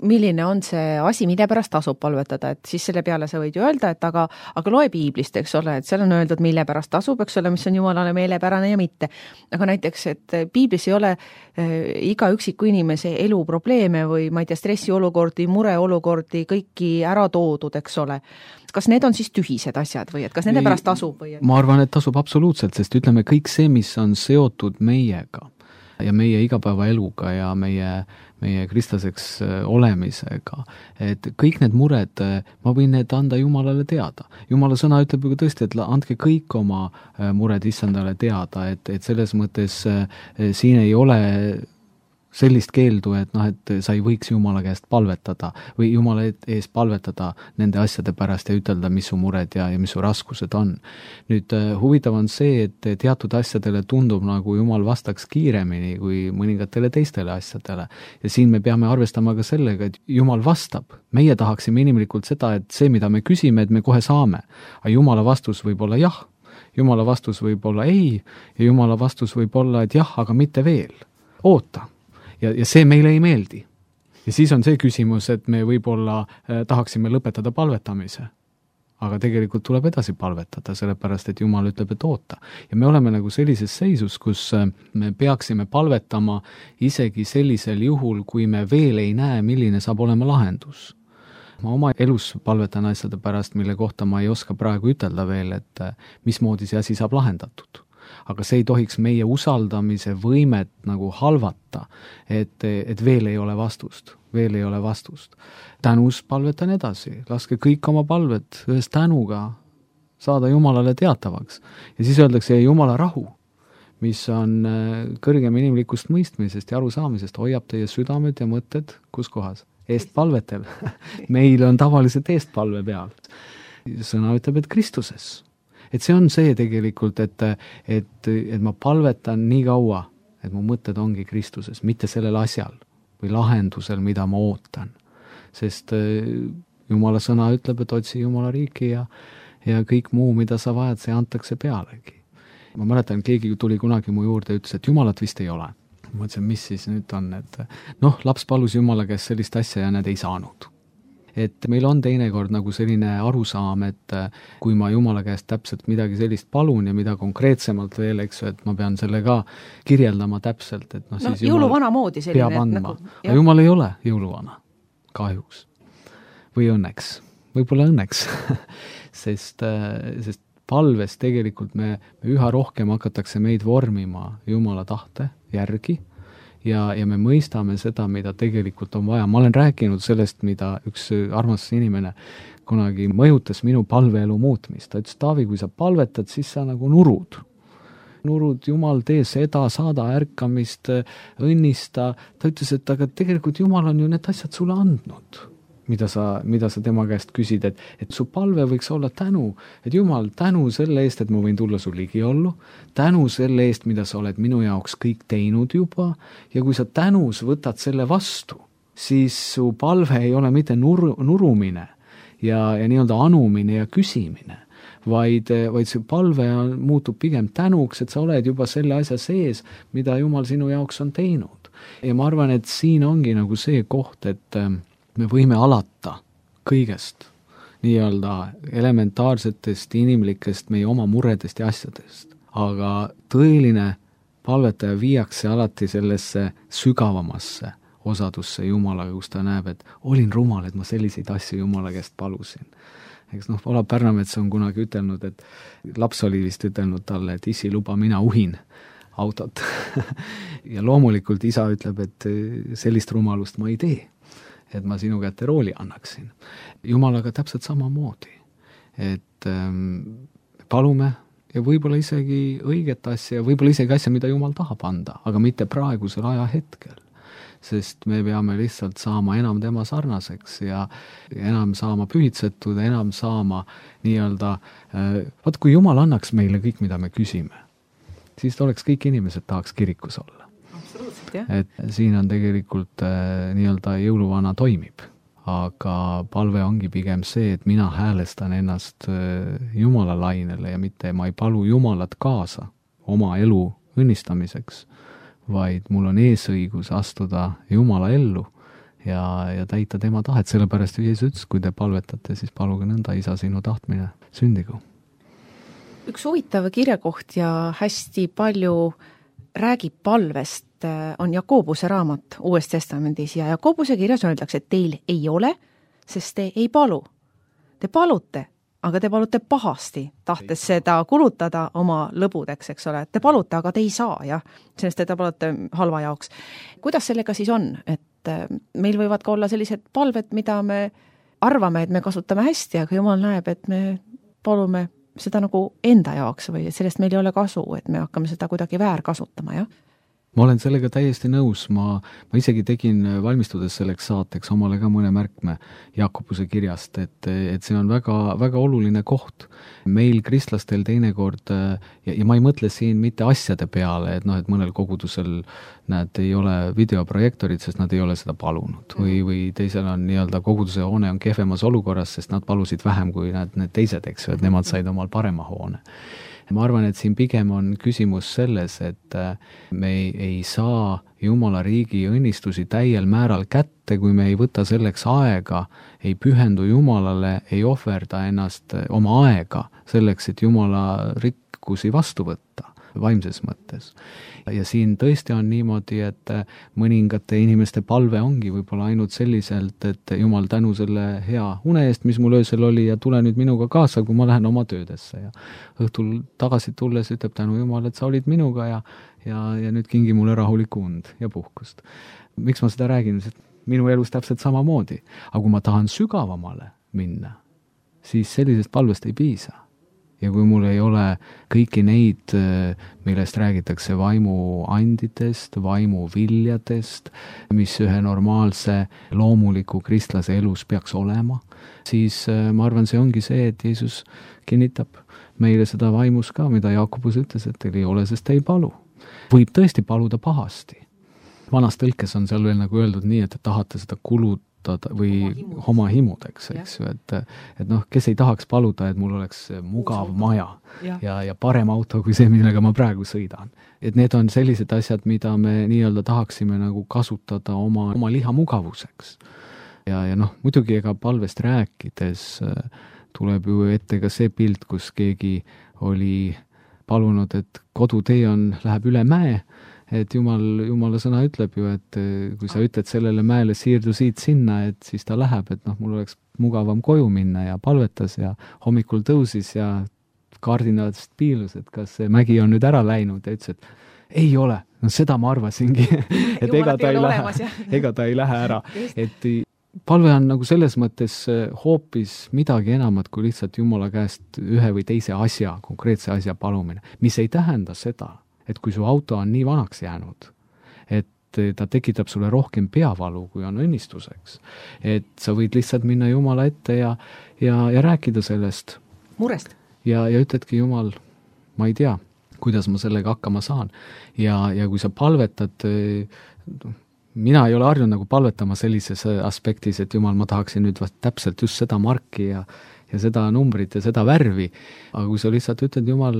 milline on see asi, mille pärast tasub palvetada, et siis selle peale sa võid ju öelda, et aga loe piiblist, eks ole, et seal on öeldud, mille pärast tasub, eks ole, mis on Jumalale meelepärane ja mitte. Aga näiteks, et piiblis ei ole iga üksiku inimese elu probleeme või ma ei tea, stressiolukordi, mureolukordi, kõiki ära toodud, eks ole. Kas need on siis tühised asjad või et kas nende pärast tasub? Või? Ma arvan, et tasub absoluutselt, sest ütleme kõik see, mis on seotud meiega ja meie igapäevaeluga ja meie kristlaseks olemisega, et kõik need mured, ma võin need anda Jumalale teada. Jumala sõna ütleb ju tõesti, et andke kõik oma mured issandale teada, et selles mõttes siin ei ole sellist keeldu, et sa ei võiks Jumala käest palvetada või Jumala ees palvetada nende asjade pärast ja ütelda, mis su mured ja mis su raskused on. Nüüd huvitav on see, et teatud asjadele tundub nagu Jumal vastaks kiiremini kui mõningatele teistele asjadele. Ja siin me peame arvestama ka sellega, et Jumal vastab. Meie tahaksime inimlikult seda, et see, mida me küsime, et me kohe saame. Aga Jumala vastus võib olla jah, Jumala vastus võib olla ei ja Jumala vastus võib olla, et jah, aga mitte veel. Oota. Ja see meile ei meeldi. Ja siis on see küsimus, et me võib-olla tahaksime lõpetada palvetamise. Aga tegelikult tuleb edasi palvetada, sellepärast, et Jumal ütleb, et oota. Ja me oleme nagu sellises seisus, kus me peaksime palvetama isegi sellisel juhul, kui me veel ei näe, milline saab olema lahendus. Ma oma elus palvetan asjade pärast, mille kohta ma ei oska praegu ütelda veel, et mismoodi see asi saab lahendatud. Aga see ei tohiks meie usaldamise võimet nagu halvata, et veel ei ole vastust, Tänus palvetan edasi, laske kõik oma palvet ühes tänuga saada Jumalale teatavaks. Ja siis öeldakse Jumala rahu, mis on kõrgem inimlikust mõistmisest ja arusaamisest, hoiab teie südamed ja mõtted, kus kohas? Eestpalvetel. Meil on tavaliselt eestpalve peal. Sõna ütleb, et Kristuses. Et see on see tegelikult, et ma palvetan nii kaua, et mu mõtted ongi Kristuses, mitte sellel asjal või lahendusel, mida ma ootan. Sest Jumala sõna ütleb, et otsi Jumala riiki ja kõik muu, mida sa vajad, see antakse pealegi. Ma mäletan, keegi tuli kunagi mu juurde ja ütles, et Jumalat vist ei ole. Ma mõtlesin, mis siis nüüd on, et laps palus Jumala käest sellist asja ja nad ei saanud. Et meil on teinekord nagu selline arusaam, et kui ma Jumala käest täpselt midagi sellist palun ja mida konkreetsemalt veel, eks, et ma pean selle ka kirjeldama täpselt, et siis jõuluvana moodi selline. Peab andma. Aga Jumal ei ole jõuluvana, kahjuks. Või õnneks. Võib-olla õnneks. sest palves tegelikult me üha rohkem hakatakse meid vormima Jumala tahte järgi, ja me mõistame seda, mida tegelikult on vaja. Ma olen rääkinud sellest, mida üks armas inimene kunagi mõjutas minu palveelu muutmist. Ta ütles, Taavi, kui sa palvetad, siis sa nagu nurud. Nurud, Jumal, tee seda, saada ärkamist, õnnista. Ta ütles, et aga tegelikult Jumal on ju need asjad sulle andnud, mida sa tema käest küsid, et su palve võiks olla tänu, et Jumal, tänu selle eest, et ma võin tulla su ligiollu, tänu selle eest, mida sa oled minu jaoks kõik teinud juba, ja kui sa tänus võtad selle vastu, siis su palve ei ole mitte nurumine ja nii-öelda anumine ja küsimine, vaid see palve muutub pigem tänuks, et sa oled juba selle asja sees, mida Jumal sinu jaoks on teinud. Ja ma arvan, et siin ongi nagu see koht, et me võime alata kõigest, nii-öelda elementaarsetest, inimlikest, meie oma muredest ja asjadest. Aga tõeline palvetaja viiakse alati sellesse sügavamasse osadusse Jumalaga, kus ta näeb, et olin rumal, et ma selliseid asju Jumala käest palusin. Eks Olav Pärnamets on kunagi ütelnud, et laps oli vist ütelnud talle, et isi, luba, mina uhin autot. Ja loomulikult isa ütleb, et sellist rumalust ma ei tee, et ma sinu kätte rooli annaksin. Jumalaga täpselt samamoodi. Et palume ja võib-olla isegi õiget asja, võib-olla isegi asja, mida Jumal tahab anda, aga mitte praegusel ajahetkel. Sest me peame lihtsalt saama enam tema sarnaseks ja enam saama pühitsetud, enam saama nii-öelda, kui Jumal annaks meile kõik, mida me küsime, siis oleks kõik inimesed tahaks kirikus olla. Et siin on tegelikult nii-öelda jõuluvana toimib, aga palve ongi pigem see, et mina häälestan ennast Jumala lainele ja mitte ma ei palu Jumalat kaasa oma elu õnnistamiseks, vaid mul on eesõigus astuda Jumala ellu ja täita tema tahet, sellepärast Jeesus ütles, kui te palvetate, siis paluge nõnda, Isa, sinu tahtmine sündigu. Üks huvitav kirjakoht ja hästi palju räägib palvest on Jakobuse raamat Uues Testamendis ja Jakobuse kirjas öeldakse, et teil ei ole, sest te ei palu. Te palute, aga te palute pahasti, tahtes seda kulutada oma lõbudeks, eks ole. Te palute, aga te ei saa, jah, sellest te palute halva jaoks. Kuidas sellega siis on, et meil võivad ka olla sellised palved, mida me arvame, et me kasutame hästi, aga Jumal näeb, et me palume seda nagu enda jaoks või sellest meil ei ole kasu, et me hakkame seda kuidagi väärkasutama, jah? Ma olen sellega täiesti nõus, ma isegi tegin valmistudes selleks saateks omale ka mõne märkme Jakobuse kirjast, et see on väga, väga oluline koht. Meil kristlastel teinekord, ja ma ei mõtle siin mitte asjade peale, et mõnel kogudusel nad ei ole videoprojektorid, sest nad ei ole seda palunud. Või teisel on nii-öelda koguduse hoone on kehvemas olukorras, sest nad palusid vähem kui need teised, eks ju, et nemad said omal parema hoone. Ma arvan, et siin pigem on küsimus selles, et me ei saa Jumala riigi õnnistusi täiel määral kätte, kui me ei võta selleks aega, ei pühendu Jumalale, ei ohverda ennast oma aega selleks, et Jumala rikkusi vastu võtta vaimses mõttes. Ja siin tõesti on niimoodi, et mõningate inimeste palve ongi võib-olla ainult selliselt, et Jumal tänu selle hea une eest, mis mul öösel oli ja tule nüüd minuga kaasa, kui ma lähen oma töödesse ja õhtul tagasi tulles ütleb tänu Jumal, et sa olid minuga ja nüüd kingi mulle rahulikku und ja puhkust. Miks ma seda räägin? Sest minu elus täpselt samamoodi. Aga kui ma tahan sügavamale minna, siis sellisest palvest ei piisa. Ja kui mul ei ole kõiki neid, millest räägitakse vaimuandidest, vaimuviljadest, mis ühe normaalse loomuliku kristlase elus peaks olema, siis ma arvan, see ongi see, et Jeesus kinnitab meile seda vaimus ka, mida Jakobus ütles, et teil ei ole, sest te ei palu. Võib tõesti paluda pahasti. Vanas tõlkes on seal veel nagu öeldud nii, et te tahate seda kulutada või oma himudeks, eks ju, et kes ei tahaks paluda, et mul oleks mugav maja ja parem auto kui see, millega ma praegu sõidan. Et need on sellised asjad, mida me nii-öelda tahaksime nagu kasutada oma liha mugavuseks. Ja muidugi ega palvest rääkides tuleb ju ette ka see pilt, kus keegi oli palunud, et kodutee läheb üle mäe, et Jumala sõna ütleb ju, et kui sa ütled sellele mäele siirdu siit sinna, et siis ta läheb, et mul oleks mugavam koju minna ja palvetas ja hommikul tõusis ja kardinadest piilus, et kas see mägi on nüüd ära läinud ja ütles, et ei ole, seda ma arvasingi, et ega ta ei lähe ära. Et palve on nagu selles mõttes hoopis midagi enamat kui lihtsalt Jumala käest ühe või teise asja, konkreetse asja palumine, mis ei tähenda seda, et kui su auto on nii vanaks jäänud, et ta tekitab sulle rohkem peavalu, kui on õnnistuseks. Et sa võid lihtsalt minna Jumala ette ja rääkida sellest. Murest. Ja ütledki Jumal, ma ei tea, kuidas ma sellega hakkama saan. Ja kui sa palvetad, mina ei ole harjunud nagu palvetama sellises aspektis, et Jumal, ma tahaksin nüüd täpselt just seda marki ja seda numbrit ja seda värvi, aga kui sa lihtsalt ütled, Jumal,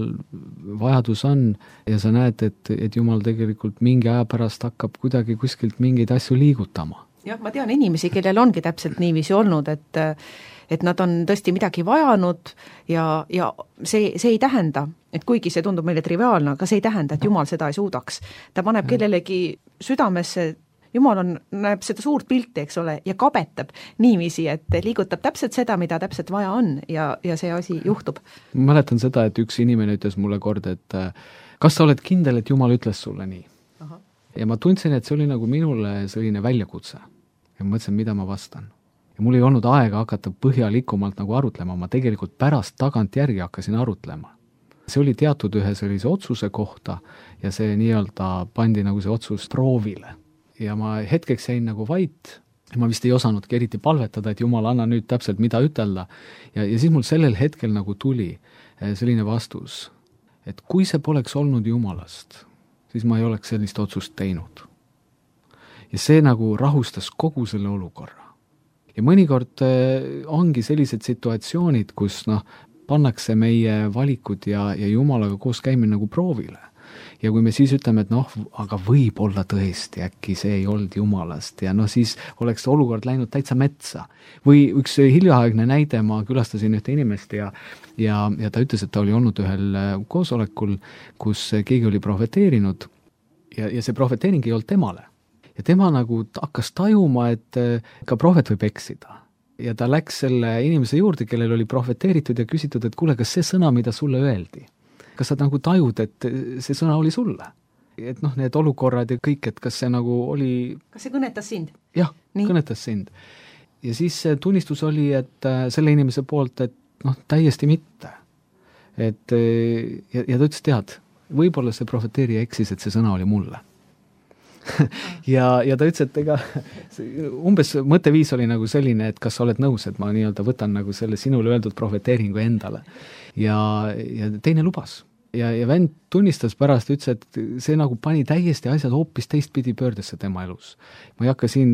vajadus on ja sa näed, et Jumal tegelikult mingi aja pärast hakkab kuidagi kuskilt mingeid asju liigutama. Jah, ma tean inimesi, kellel ongi täpselt niiviisi olnud, et nad on tõesti midagi vajanud ja see ei tähenda, et kuigi see tundub meile triviaalne, aga see ei tähenda, et Jumal seda ei suudaks. Ta paneb kellelegi südamesse, Jumal näeb seda suurt pilti, eks ole, ja kabetab niiviisi, et liigutab täpselt seda, mida täpselt vaja on ja see asi juhtub. Ma mäletan seda, et üks inimene ütles mulle kord, et kas sa oled kindel, et Jumal ütles sulle nii? Aha. Ja ma tundsin, et see oli nagu minule selline väljakutse. Ja ma mõtlesin, mida ma vastan. Ja mul ei olnud aega hakata põhjalikumalt nagu arutlema, ma tegelikult pärast tagantjärgi hakkasin arutlema. See oli teatud ühe sellise otsuse kohta ja see nii-öelda pandi nagu see otsus proovile. Ja ma hetkeks jäin nagu vait, ma vist ei osanudki eriti palvetada, et Jumal, anna nüüd täpselt mida ütelda. Ja siis mul sellel hetkel nagu tuli selline vastus, et kui see poleks olnud Jumalast, siis ma ei oleks sellist otsust teinud. Ja see nagu rahustas kogu selle olukorra. Ja mõnikord ongi sellised situatsioonid, kus pannakse meie valikud ja Jumalaga koos käimine nagu proovile. ja kui me siis ütleme, et noh, aga võib-olla tõesti, äkki see ei olnud Jumalast ja noh, siis oleks olukord läinud täitsa metsa. Või üks hiljaaegne näide, ma külastasin ühte inimest ja ta ütles, et ta oli olnud ühel koosolekul, kus keegi oli prohveteerinud ja see prohveteering ei olnud temale. Ja tema nagu hakkas tajuma, et ka prohvet võib eksida. Ja ta läks selle inimese juurde, kellel oli prohveteeritud ja küsitud, et kuule, kas see sõna, mida sulle öeldi, kas sa nagu tajud, et see sõna oli sulle? Et noh, need olukorrad ja kõik, et kas see nagu oli... Kas see kõnetas sind? Jah, kõnetas sind. Ja siis tunnistus oli, et selle inimese poolt, et noh, täiesti mitte. Et, ja ta ütles, tead, võib-olla see prohveteerija eksis, et see sõna oli mulle. ja ta ütles, et ega umbes mõtteviis oli nagu selline, et kas sa oled nõus, et ma nii-öelda võtan nagu selle sinule öeldud prohveteeringu endale. Ja teine lubas. Ja vend tunnistas pärast, ütles, et see nagu pani täiesti asjad hoopis teistpidi pöördesse tema elus. Ma ei hakka siin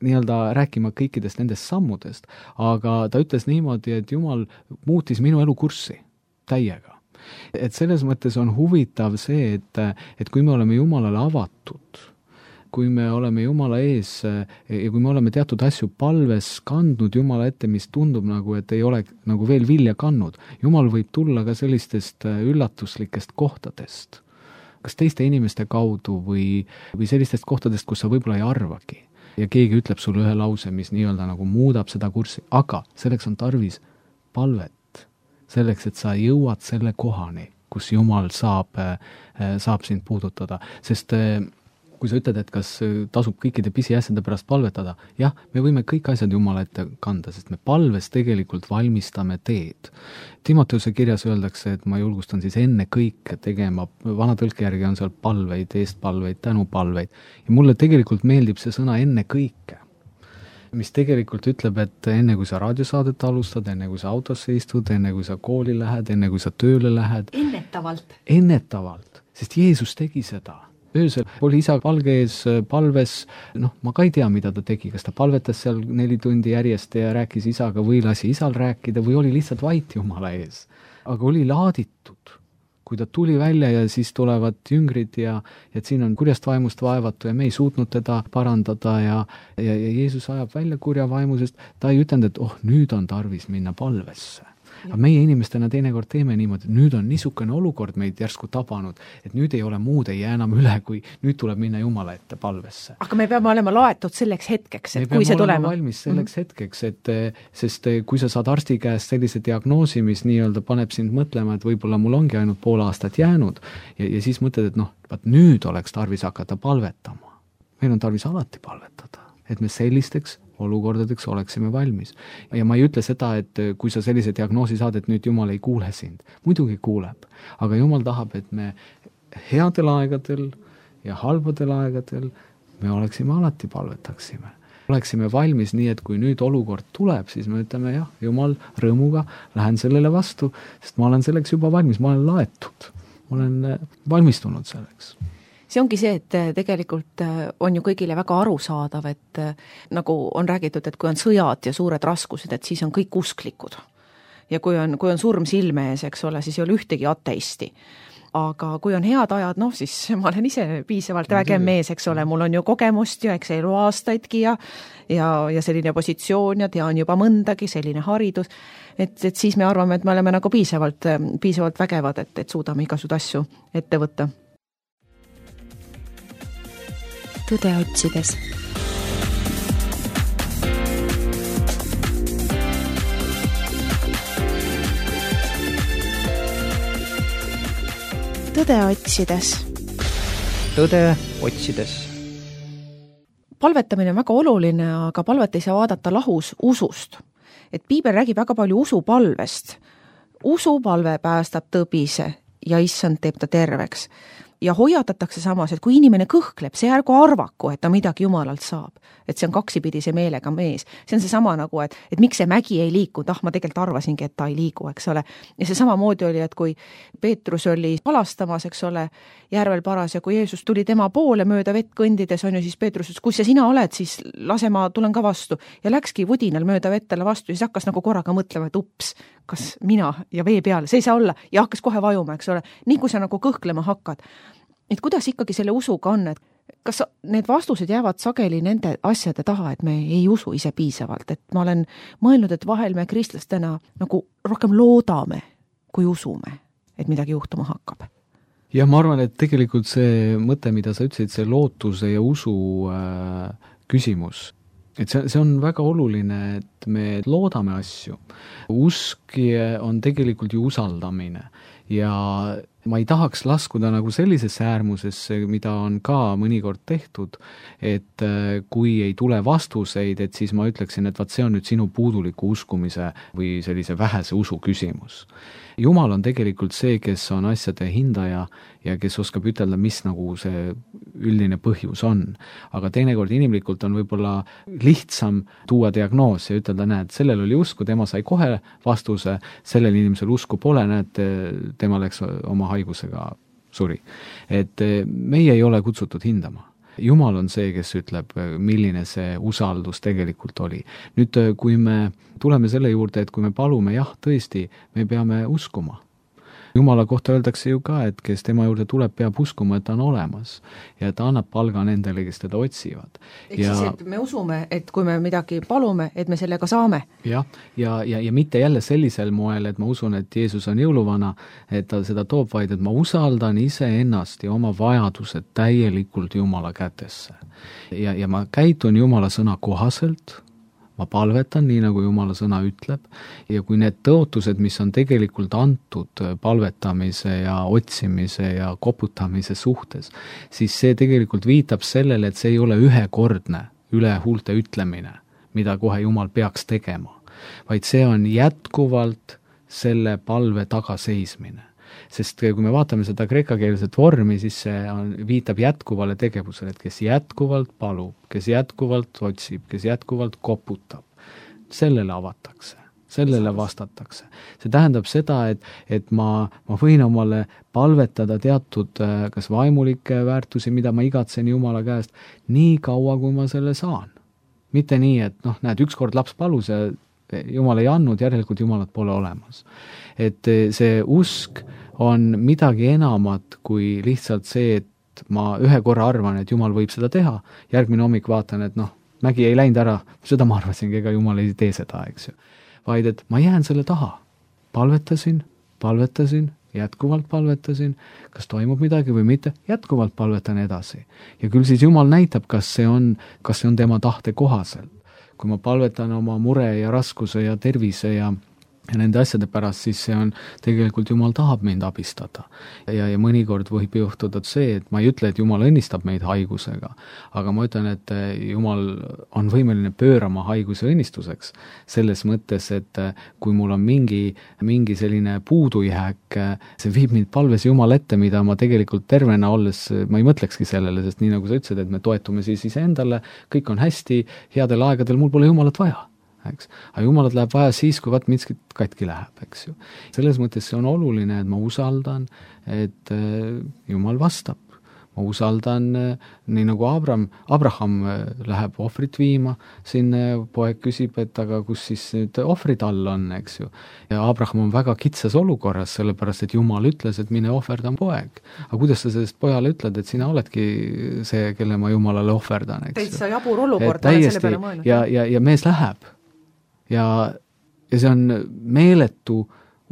nii-öelda rääkima kõikidest nendest sammudest, aga ta ütles niimoodi, et Jumal muutis minu elu kurssi täiega. Et selles mõttes on huvitav see, et kui me oleme Jumalale avatud, kui me oleme Jumala ees ja kui me oleme teatud asju palves kandnud Jumala ette, mis tundub nagu, et ei ole nagu veel vilja kandnud, Jumal võib tulla ka sellistest üllatuslikest kohtadest, kas teiste inimeste kaudu või sellistest kohtadest, kus sa võib-olla ei arvagi. Ja keegi ütleb sulle ühe lause, mis nii-öelda nagu muudab seda kurssi, aga selleks on tarvis palvet. Selleks, et sa jõuad selle kohani, kus Jumal saab sind puudutada. Sest kui sa ütled, et kas tasub kõikide pisiasjade pärast palvetada, jah, me võime kõik asjad Jumala ette kanda, sest me palves tegelikult valmistame teed. Timoteuse kirjas öeldakse, et ma julgustan siis enne kõike tegema, vana tõlke järgi on seal palveid, eestpalveid, tänupalveid. Ja mulle tegelikult meeldib see sõna enne kõike, mis tegelikult ütleb, et enne kui sa raadiosaadet alustad, enne kui sa autosse istud, enne kui sa kooli lähed, enne kui sa tööle lähed. Ennetavalt, sest Jeesus tegi seda. Öösel oli isa palge ees palves, noh, ma ka ei tea, mida ta tegi, kas ta palvetas seal 4 tundi järjest ja rääkis isaga või lasi isal rääkida või oli lihtsalt vait Jumala ees. Aga oli laaditud. Kui ta tuli välja ja siis tulevad jüngrid ja et siin on kurjast vaimust vaevatu ja me ei suutnud teda parandada ja Jeesus ajab välja kurja vaimu, sest ta ei ütelnud, et nüüd on tarvis minna palvesse. Aga meie inimestena teinekord teeme niimoodi, et nüüd on niisugune olukord meid järsku tabanud, et nüüd ei ole muud, ei jää enam üle, kui nüüd tuleb minna Jumala ette palvesse. Aga me peame olema laetud selleks hetkeks, et kui see tulema. Me peame olema valmis selleks hetkeks, sest kui sa saad arsti käest sellise diagnoosi, mis nii-öelda paneb sind mõtlema, et võib-olla mul ongi ainult pool aastat jäänud ja siis mõtled, et noh, nüüd oleks tarvis hakata palvetama. Meil on tarvis alati palvetada, et me sellisteks olukordadeks oleksime valmis. Ja ma ei ütle seda, et kui sa sellise diagnoosi saad, et nüüd Jumal ei kuule sind. Muidugi kuuleb, aga Jumal tahab, et me headel aegadel ja halbadel aegadel me oleksime alati palvetaksime. Oleksime valmis nii, et kui nüüd olukord tuleb, siis me ütleme jah, Jumal rõõmuga, lähen sellele vastu, sest ma olen selleks juba valmis, ma olen laetud, ma olen valmistunud selleks. See ongi see, et tegelikult on ju kõigile väga arusaadav, et nagu on räägitud, et kui on sõjad ja suured raskused, et siis on kõik usklikud. Ja kui on surm silme ees, eks ole, siis ei ole ühtegi ateisti. Aga kui on head ajad, noh siis ma olen ise piisavalt vägev mees, eks ole, mul on ju kogemust ja eks elu aastaidki ja selline positsioon ja tean juba mõndagi, selline haridus, et siis me arvame, et me oleme nagu piisavalt vägevad, et suudame igasugused asju ette võtta. Tõde otsides. Tõde otsides. Tõde otsides. Palvetamine on väga oluline, aga palvet ei saa vaadata lahus usust. Et Piibel räägib väga palju usupalvest. Usupalve päästab tõbise ja issand teeb ta terveks. ja hoiatatakse samas, et kui inimene kõhkleb, see ärgu arvaku, et ta midagi Jumalalt saab. Et see on kaksipidise meelega mees. See on see sama nagu, et miks see mägi ei liikunud, ma tegelikult arvasingi, et ta ei liigu, eks ole. Ja see samamoodi oli, et kui Peetrus oli palastamas, eks ole, järvel paras ja kui Jeesus tuli tema poole mööda vett kõndides, on ju siis Peetrus, et kui see sina oled, siis lase ma tulen ka vastu. Ja läkski vudinal mööda vettele vastu ja siis hakkas nagu korraga mõtlema, et ups, kas mina ja vee peale, see ei saa olla ja hakkas kohe vajuma, eks ole. Nii kui sa nagu kõhklema hakkad. Et kuidas ikkagi selle usuga on, et kas need vastused jäävad sageli nende asjade taha, et me ei usu ise piisavalt, et ma olen mõelnud, et vahel me kristlastena nagu rohkem loodame, kui usume, et midagi juhtuma hakkab. Ja ma arvan, et tegelikult see mõte, mida sa ütlesid, see lootuse ja usu küsimus, et see on väga oluline, et me loodame asju. Usk on tegelikult ju usaldamine ja ma ei tahaks laskuda nagu sellisesse äärmusesse, mida on ka mõnikord tehtud, et kui ei tule vastuseid, et siis ma ütleksin, et see on nüüd sinu puuduliku uskumise või sellise vähese usu küsimus. Jumal on tegelikult see, kes on asjade hindaja ja kes oskab ütelda, mis nagu see üldine põhjus on. Aga teinekord inimlikult on võib-olla lihtsam tuua diagnoos ja ütelda, näed, sellel oli usku, tema sai kohe vastuse, sellel inimesel usku pole, näed, tema läks oma haigusega suri. Et meie ei ole kutsutud hindama. Jumal on see, kes ütleb, milline see usaldus tegelikult oli. Nüüd, kui me tuleme selle juurde, et kui me palume, jah, tõesti, me peame uskuma. Jumala kohta öeldakse ju ka, et kes tema juurde tuleb, peab uskuma, et ta on olemas ja ta annab palga nendele, kes teda otsivad. Siis, et me usume, et kui me midagi palume, et me sellega saame. Ja mitte jälle sellisel moel, et ma usun, et Jeesus on jõuluvana, et ta seda toob, vaid et ma usaldan iseennast ja oma vajadused täielikult Jumala kätesse. Ja ma käitun Jumala sõna kohaselt, ma palvetan nii, nagu Jumala sõna ütleb, ja kui need tõotused, mis on tegelikult antud palvetamise ja otsimise ja koputamise suhtes, siis see tegelikult viitab sellele, et see ei ole ühekordne üle huulte ütlemine, mida kohe Jumal peaks tegema, vaid see on jätkuvalt selle palve tagaseismine. Sest kui me vaatame seda kreekakeelset vormi, siis see viitab jätkuvale tegevusele, et kes jätkuvalt palub, kes jätkuvalt otsib, kes jätkuvalt koputab, sellele avatakse, sellele vastatakse. See tähendab seda, et ma võin omale palvetada teatud kas vaimulikke väärtusi, mida ma igatsen Jumala käest, nii kaua, kui ma selle saan. Mitte nii, et näed, ükskord laps palus ja Jumal ei andnud, järelikult Jumalat pole olemas. Et see usk on midagi enamat kui lihtsalt see, et ma ühe korra arvan, et Jumal võib seda teha, järgmine hommik vaatan, et mägi ei läinud ära, seda ma arvasingi, ega Jumal ei tee seda, eks ju. Vaid, et ma jään selle taha. Palvetasin, jätkuvalt palvetasin, kas toimub midagi või mitte, jätkuvalt palvetan edasi. Ja küll siis Jumal näitab, kas see on tema tahte kohaselt. Kui ma palvetan oma mure ja raskuse ja tervise ja nende asjade pärast, siis see on tegelikult Jumal tahab mind abistada. Ja mõnikord võib juhtuda see, et ma ei ütle, et Jumal õnnistab meid haigusega, aga ma ütlen, et Jumal on võimeline pöörama haiguse õnnistuseks. Selles mõttes, et kui mul on mingi selline puudujääk, see viib mind palves Jumal ette, mida ma tegelikult tervena olles, ma ei mõtlekski sellele, sest nii nagu sa ütlesid, et me toetume siis iseendale, kõik on hästi, headel aegadel mul pole Jumalat vaja. Aga Jumalat läheb vaja siis, kui miskit katki läheb, eks ju. Selles mõttes see on oluline, et ma usaldan, et Jumal vastab. Ma usaldan, nii nagu Abraham läheb ohvrit viima, siin poeg küsib, et aga kus siis nüüd ohvrid all on, eks ju. Ja Abraham on väga kitsas olukorras, sellepärast, et Jumal ütles, et mine ohverdan poeg. Aga kuidas sa sellest pojale ütled, et sina oledki see, kelle ma Jumalale ohverdan, eks ju. Täitsa jabur olukord, olen selle peale mõelnud. Ja mees läheb. Ja see on meeletu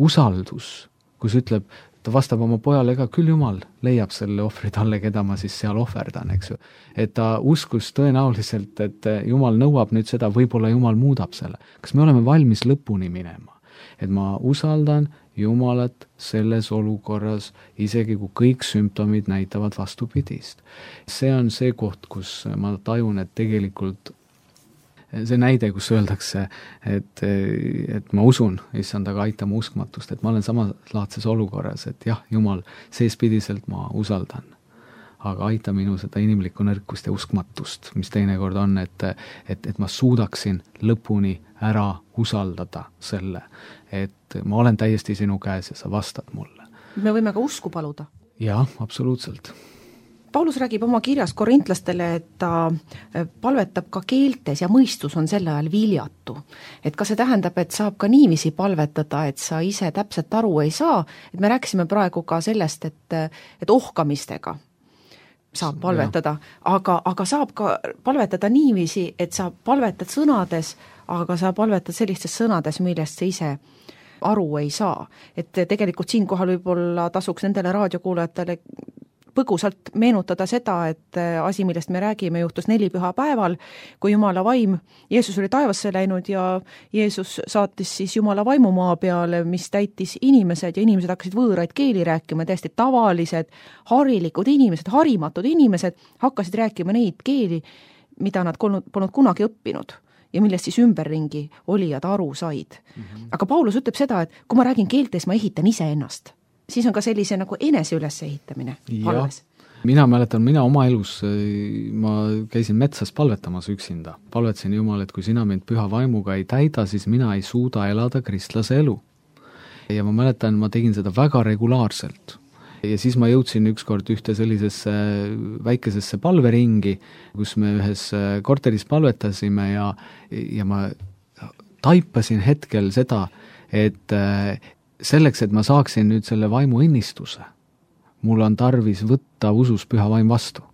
usaldus, kus ütleb, ta vastab oma pojale, ega küll Jumal leiab selle ohvri talle, keda ma siis seal ohverdan, eks ju. Et ta uskus tõenäoliselt, et Jumal nõuab nüüd seda, võib-olla Jumal muudab selle. Kas me oleme valmis lõpuni minema? Et ma usaldan Jumalat selles olukorras, isegi kui kõik sümptomid näitavad vastupidist. See on see koht, kus ma tajun, et tegelikult see näide, kus öeldakse, et ma usun, issand, aga aitama uskmatust, et ma olen samalaadses olukorras, et jah, Jumal, seespidiselt ma usaldan aga aita minu seda inimlikku nõrkust ja uskmatust, mis teinekord on, et ma suudaksin lõpuni ära usaldada selle, et ma olen täiesti sinu käes ja sa vastad mulle. Me võime ka usku paluda. Jah, absoluutselt. Paulus räägib oma kirjas korintlastele, et ta palvetab ka keeltes ja mõistus on sel ajal viljatu. Et kas see tähendab, et saab ka niiviisi palvetada, et sa ise täpselt aru ei saa, et me rääkisime praegu ka sellest, et ohkamistega saab palvetada, aga saab ka palvetada niiviisi, et sa palvetad sõnades, aga sa palvetad sellistes sõnades, millest sa ise aru ei saa. Et tegelikult siinkohal võib-olla tasuks nendele raadiokuulajatele põgusalt meenutada seda, et asi, millest me räägime, juhtus 4 pühapäeval, kui Jumala vaim, Jeesus oli taevasse läinud ja Jeesus saatis siis Jumala vaimu maa peale, mis täitis inimesed ja inimesed hakkasid võõraid keeli rääkima, täiesti tavalised, harilikud inimesed, harimatud inimesed hakkasid rääkima neid keeli, mida nad polnud kunagi õppinud ja millest siis ümberringi olijad aru said. Aga Paulus ütleb seda, et kui ma räägin keeltes, ma ehitan iseennast. Siis on ka sellise nagu enese üles ehitamine palves. Mina mäletan, oma elus, ma käisin metsas palvetamas üksinda. Palvetasin Jumal, et kui sina mind püha vaimuga ei täida, siis mina ei suuda elada kristlase elu. Ja ma mäletan, ma tegin seda väga regulaarselt. Ja siis ma jõudsin ükskord ühte sellisesse väikesesse palveringi, kus me ühes korteris palvetasime ja ma taipasin hetkel seda, et selleks, et ma saaksin nüüd selle vaimu õnnistuse, mul on tarvis võtta usus püha vaim vastu.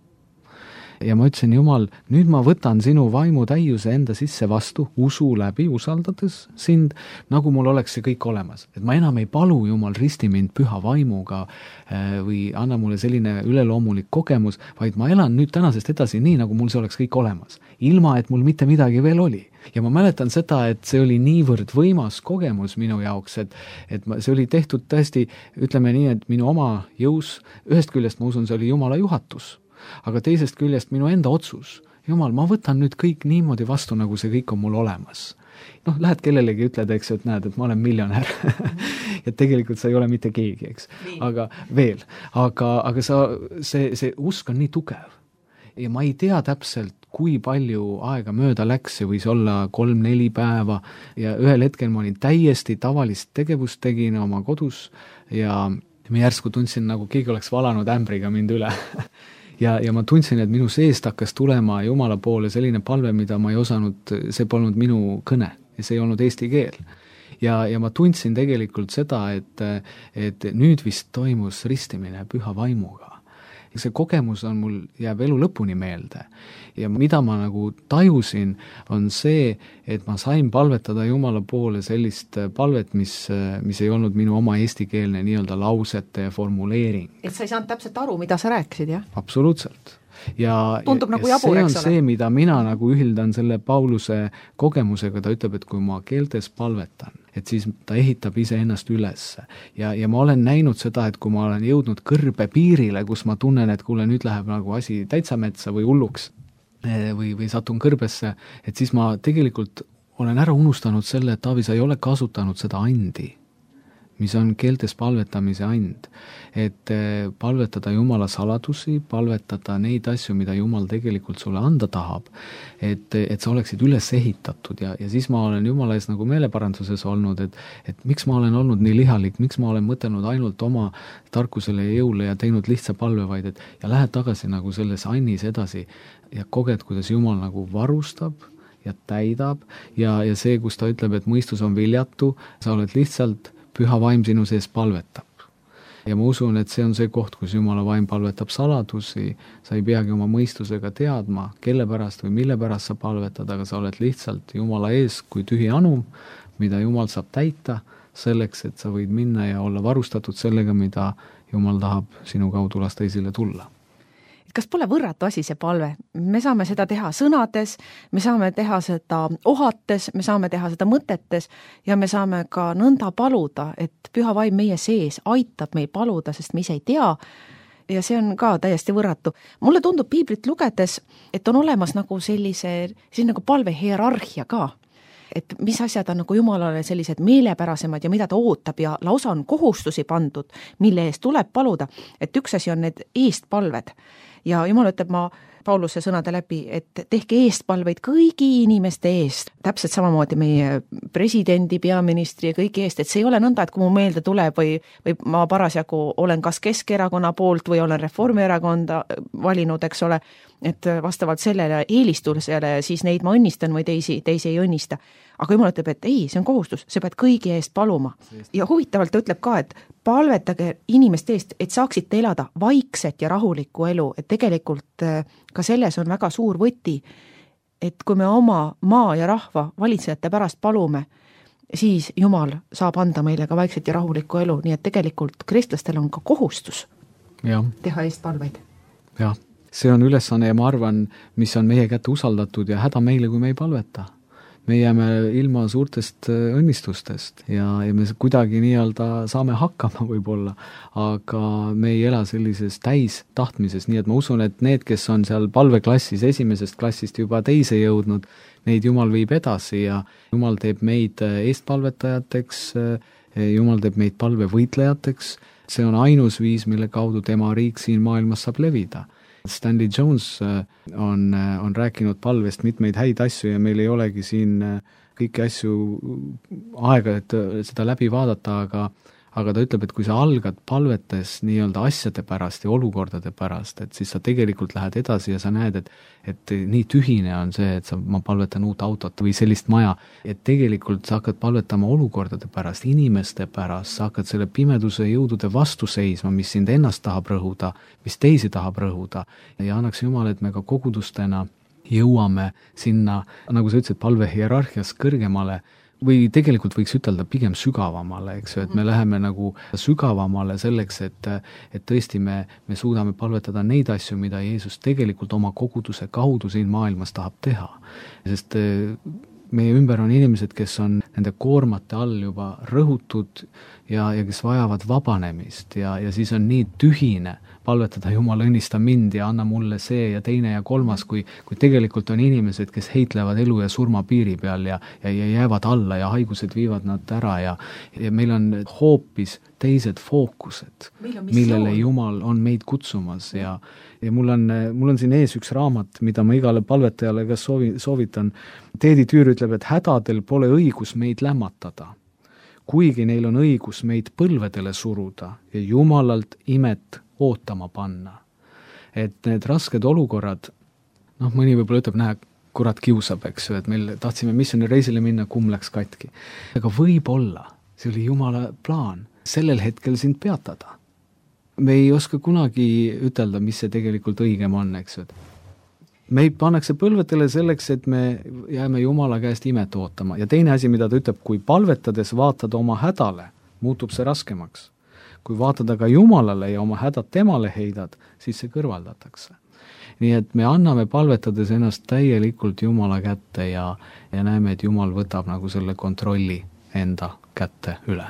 Ja ma ütlesin, Jumal, nüüd ma võtan sinu vaimu täiuse enda sisse vastu, usu läbi, usaldades sind, nagu mul oleks see kõik olemas. Et ma enam ei palu, Jumal, risti mind püha vaimuga või anna mulle selline üleloomulik kogemus, vaid ma elan nüüd tänasest edasi nii, nagu mul see oleks kõik olemas, ilma et mul mitte midagi veel oli. Ja ma mäletan seda, et see oli niivõrd võimas kogemus minu jaoks, et see oli tehtud tõesti, ütleme nii, et minu oma jõus, ühest küljest ma usun, see oli Jumala juhatus, aga teisest küljest minu enda otsus. Jumal, ma võtan nüüd kõik niimoodi vastu, nagu see kõik on mul olemas. Lähed kellelegi, ütled, eks, et näed, et ma olen miljonär. ja tegelikult sa ei ole mitte keegi, eks. Aga veel. Aga see usk on nii tugev. Ja ma ei tea täpselt, kui palju aega mööda läks, see võis olla 3-4 päeva ja ühel hetkel ma olin täiesti tavalist tegevust tegin oma kodus ja ma järsku tundsin, nagu keegi oleks valanud ämbriga mind üle. ja ma tundsin, et minu seest hakkas tulema Jumala poole selline palve, mida ma ei osanud, see polnud minu kõne ja see ei olnud eesti keel. Ja ma tundsin tegelikult seda, et nüüd vist toimus ristimine püha vaimuga. See kogemus on mul, jääb elu lõpuni meelde. Ja mida ma nagu tajusin, on see, et ma sain palvetada Jumala poole sellist palvet, mis ei olnud minu oma eestikeelne nii-öelda lausete formuleering. Et sa ei saanud täpselt aru, mida sa rääkisid, jah? Absoluutselt. Tundub nagu jabur, eks ole. See on see, mida mina nagu ühildan selle Pauluse kogemusega, ta ütleb, et kui ma keeltes palvetan, et siis ta ehitab ise ennast üles. Ja ma olen näinud seda, et kui ma olen jõudnud kõrbe piirile, kus ma tunnen, et kuule, nüüd läheb nagu asi täitsa metsa või hulluks või satun kõrbesse, et siis ma tegelikult olen ära unustanud selle, et Taavi, sa ei ole kasutanud seda andi, mis on keeltes palvetamise and. Et palvetada Jumala saladusi, palvetada neid asju, mida Jumal tegelikult sulle anda tahab, et sa oleksid üles ehitatud ja siis ma olen Jumala ees nagu meeleparanduses olnud, et miks ma olen olnud nii lihalik, miks ma olen mõtelnud ainult oma tarkusele ja jõule ja teinud lihtsa palve, vaid ja lähed tagasi nagu selles annis edasi ja koged, kuidas Jumal nagu varustab ja täidab ja see, kus ta ütleb, et mõistus on viljatu, sa oled lihtsalt püha vaim sinu sees palvetab. Ja ma usun, et see on see koht, kus Jumala vaim palvetab saladusi, sa ei peagi oma mõistusega teadma, kelle pärast või mille pärast sa palvetad, aga sa oled lihtsalt Jumala ees kui tühi anum, mida Jumal saab täita selleks, et sa võid minna ja olla varustatud sellega, mida Jumal tahab sinu kaudu lasta esile tulla. Kas pole võrratu asi see palve? Me saame seda teha sõnades, me saame teha seda ohates, me saame teha seda mõtetes ja me saame ka nõnda paluda, et püha vaim meie sees aitab meil paluda, sest me ise ei tea ja see on ka täiesti võrratu. Mulle tundub piiblit lugedes, et on olemas nagu sellise nagu palve hierarhia ka. et mis asjad on nagu Jumalale sellised meelepärasemad ja mida ta ootab ja lausa on kohustusi pandud, mille eest tuleb paluda, et üks asi on need eestpalved ja Jumal ütleb Pauluse sõnade läbi, et tehke eestpalveid kõigi inimeste eest, täpselt samamoodi meie presidendi, peaministri ja kõigi eest, et see ei ole nõnda, et kui mu meelde tuleb või ma parasjagu olen kas Keskerakonna poolt või olen Reformierakonda valinud, eks ole, et vastavalt sellele eelistusele siis neid ma õnnistan või teisi ei õnnista. Aga Jumal ütleb, et ei, see on kohustus, sa pead kõigi eest paluma. Ja huvitavalt ta ütleb ka, et palvetage inimeste eest, et saaksite elada vaikset ja rahulikku elu, et tegelikult ka selles on väga suur võti, et kui me oma maa ja rahva valitsejate pärast palume, siis Jumal saab anda meile ka vaikset ja rahulikku elu, nii et tegelikult kristlastel on ka kohustus teha eestpalveid. Jah, see on ülesanne ja ma arvan, mis on meie kätte usaldatud ja häda meile, kui me ei palveta. Me jääme ilma suurtest õnnistustest ja me kuidagi nii-öelda saame hakkama võib-olla, aga me ei ela sellises täis tahtmises, nii et ma usun, et need, kes on seal palveklassis esimesest klassist juba teise jõudnud, neid Jumal viib edasi ja Jumal teeb meid eestpalvetajateks, Jumal teeb meid palvevõitlejateks, see on ainus viis, mille kaudu tema riik siin maailmas saab levida. Stanley Jones on rääkinud palvest mitmeid häid asju ja meil ei olegi siin kõiki asju aega, et seda läbi vaadata, aga ta ütleb, et kui sa algad palvetes nii-öelda asjade pärast ja olukordade pärast, et siis sa tegelikult lähed edasi ja sa näed, et nii tühine on see, et ma palvetan uut autot või sellist maja, et tegelikult sa hakkad palvetama olukordade pärast, inimeste pärast, sa hakkad selle pimeduse jõudude vastu seisma, mis sind ennast tahab rõhuda, mis teisi tahab rõhuda ja annaks Jumal, et me ka kogudustena jõuame sinna, nagu sa ütlesid, palve hierarhias kõrgemale, või tegelikult võiks ütelda pigem sügavamale, eks ju, et me läheme nagu sügavamale selleks, et tõesti me suudame palvetada neid asju, mida Jeesus tegelikult oma koguduse kaudu siin maailmas tahab teha. Sest meie ümber on inimesed, kes on nende koormate all juba rõhutud ja kes vajavad vabanemist ja siis on nii tühine palvetada, Jumal, õnnista mind ja anna mulle see ja teine ja kolmas, kui tegelikult on inimesed, kes heitlevad elu ja surma piiri peal ja jäävad alla ja haigused viivad nad ära ja meil on hoopis teised fookused, millele Jumal on meid kutsumas ja mul on siin ees üks raamat, mida ma igale palvetajale ka soovitan. Teedi Tüür ütleb, et hädadel pole õigus meid lämmatada, kuigi neil on õigus meid põlvedele suruda ja Jumalalt imet ootama panna. Et need rasked olukorrad, mõni võib-olla ütleb, näe, kurat kiusab, eks ju, et meil tahtsime missioonireisile minna, kumm läks katki. Aga võib-olla, see oli Jumala plaan, sellel hetkel sind peatada. Me ei oska kunagi ütelda, mis see tegelikult õigem on, eks ju. Meid pannakse põlvetele selleks, et me jääme Jumala käest imet ootama. Ja teine asi, mida ta ütleb, kui palvetades vaatad oma hädale, muutub see raskemaks. Kui vaatada ka Jumalale ja oma hädad temale heidad, siis see kõrvaldatakse. Nii et me anname palvetades ennast täielikult Jumala kätte ja näeme, et Jumal võtab nagu selle kontrolli enda kätte üle.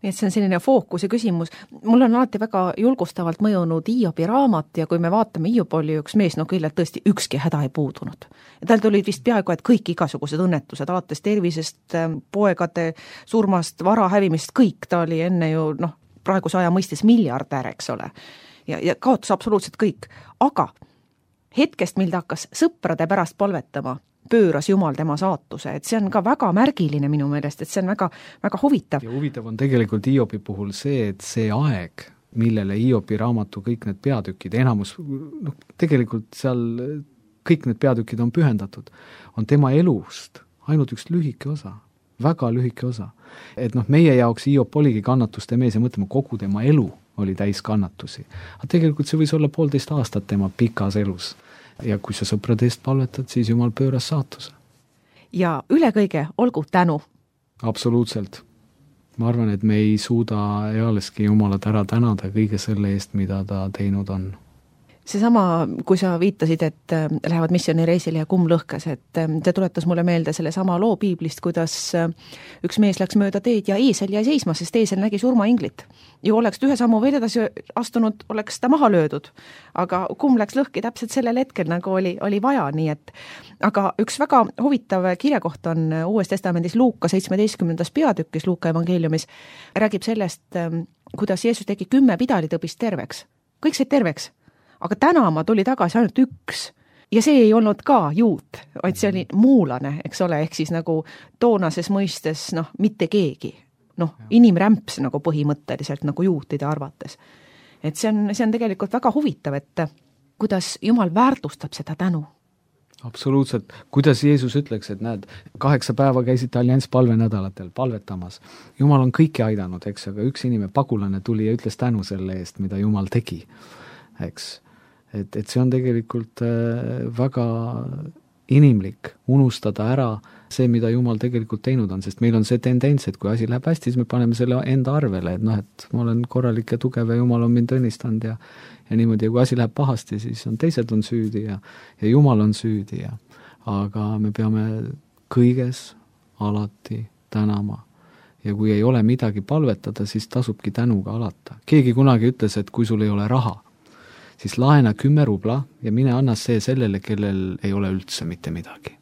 Nii et see on selline fookuse küsimus. Mul on alati väga julgustavalt mõjunud Hiobi raamat ja kui me vaatame, Hiob oli üks mees, küllalt tõesti ükski häda ei puudunud. Ja tal tulid vist peaaegu, et kõik igasugused õnnetused, alates tervisest, poegade surmast, vara hävimist, kõik, ta oli enne ju, praeguse aja mõistes miljardär, eks ole. Ja kaotas absoluutselt kõik. Aga hetkest, mil ta hakkas sõprade pärast palvetama, pööras Jumal tema saatuse, et see on ka väga märgiline minu meelest, et see on väga, väga huvitav. Ja huvitav on tegelikult Hiobi puhul see, et see aeg, millele Hiobi raamatu kõik need peatükid, enamus, tegelikult seal kõik need peatükid on pühendatud, on tema elust ainult üks lühike osa, väga lühike osa. Et meie jaoks Hiob oligi kannatuste mees ja mõtlema, kogu tema elu oli täis kannatusi. Aga tegelikult see võis olla 1,5 aastat tema pikas elus. Ja kui sa sõprade eest palvetad, siis Jumal pööras saatuse. Ja üle kõige olgu tänu. Absoluutselt. Ma arvan, et me ei suuda ealeski Jumalat ära tänada kõige selle eest, mida ta teinud on. seesama, kui sa viitasid, et lähevad missioonireisile ja kumm lõhkes, et see tuletas mulle meelde selle sama loo piiblist, kuidas üks mees läks mööda teed ja eesel jäi seisma, sest eesel nägi surmainglit. Ju oleks ühe sammu veel edasi astunud, oleks ta maha löödud, aga kumm läks lõhki täpselt sellel hetkel, nagu oli vaja, nii et aga üks väga huvitav kirjakoht on Uues Testamendis Luuka 17. peatükis Luuka evangeeliumis, räägib sellest, kuidas Jeesus tegi 10 pidalitõbist terveks. Kõik said terveks. Aga tänama tuli tagasi ainult üks ja see ei olnud ka juut, vaid see oli muulane, eks ole, ehk siis nagu toonases mõistes, mitte keegi, inimrämps nagu põhimõtteliselt nagu juutide arvates. Et see on tegelikult väga huvitav, et kuidas Jumal väärtustab seda tänu. Absoluutselt. Kuidas Jeesus ütleks, et näed, 8 päeva käisite allianss palvenädalatel palvetamas. Jumal on kõiki aidanud, eks, aga üks inimene, pagulane tuli ja ütles tänu selle eest, mida Jumal tegi, eks. Et see on tegelikult väga inimlik unustada ära see, mida Jumal tegelikult teinud on, sest meil on see tendents, et kui asi läheb hästi, siis me paneme selle enda arvele, et et ma olen korralik ja tugev ja Jumal on mind õnnistanud ja niimoodi, ja kui asi läheb pahasti, siis teised on süüdi ja Jumal on süüdi aga me peame kõiges alati tänama. Ja kui ei ole midagi palvetada, siis tasubki tänuga alata. Keegi kunagi ütles, et kui sul ei ole raha, siis laena 10 rubla ja mine anna see sellele, kellel ei ole üldse mitte midagi.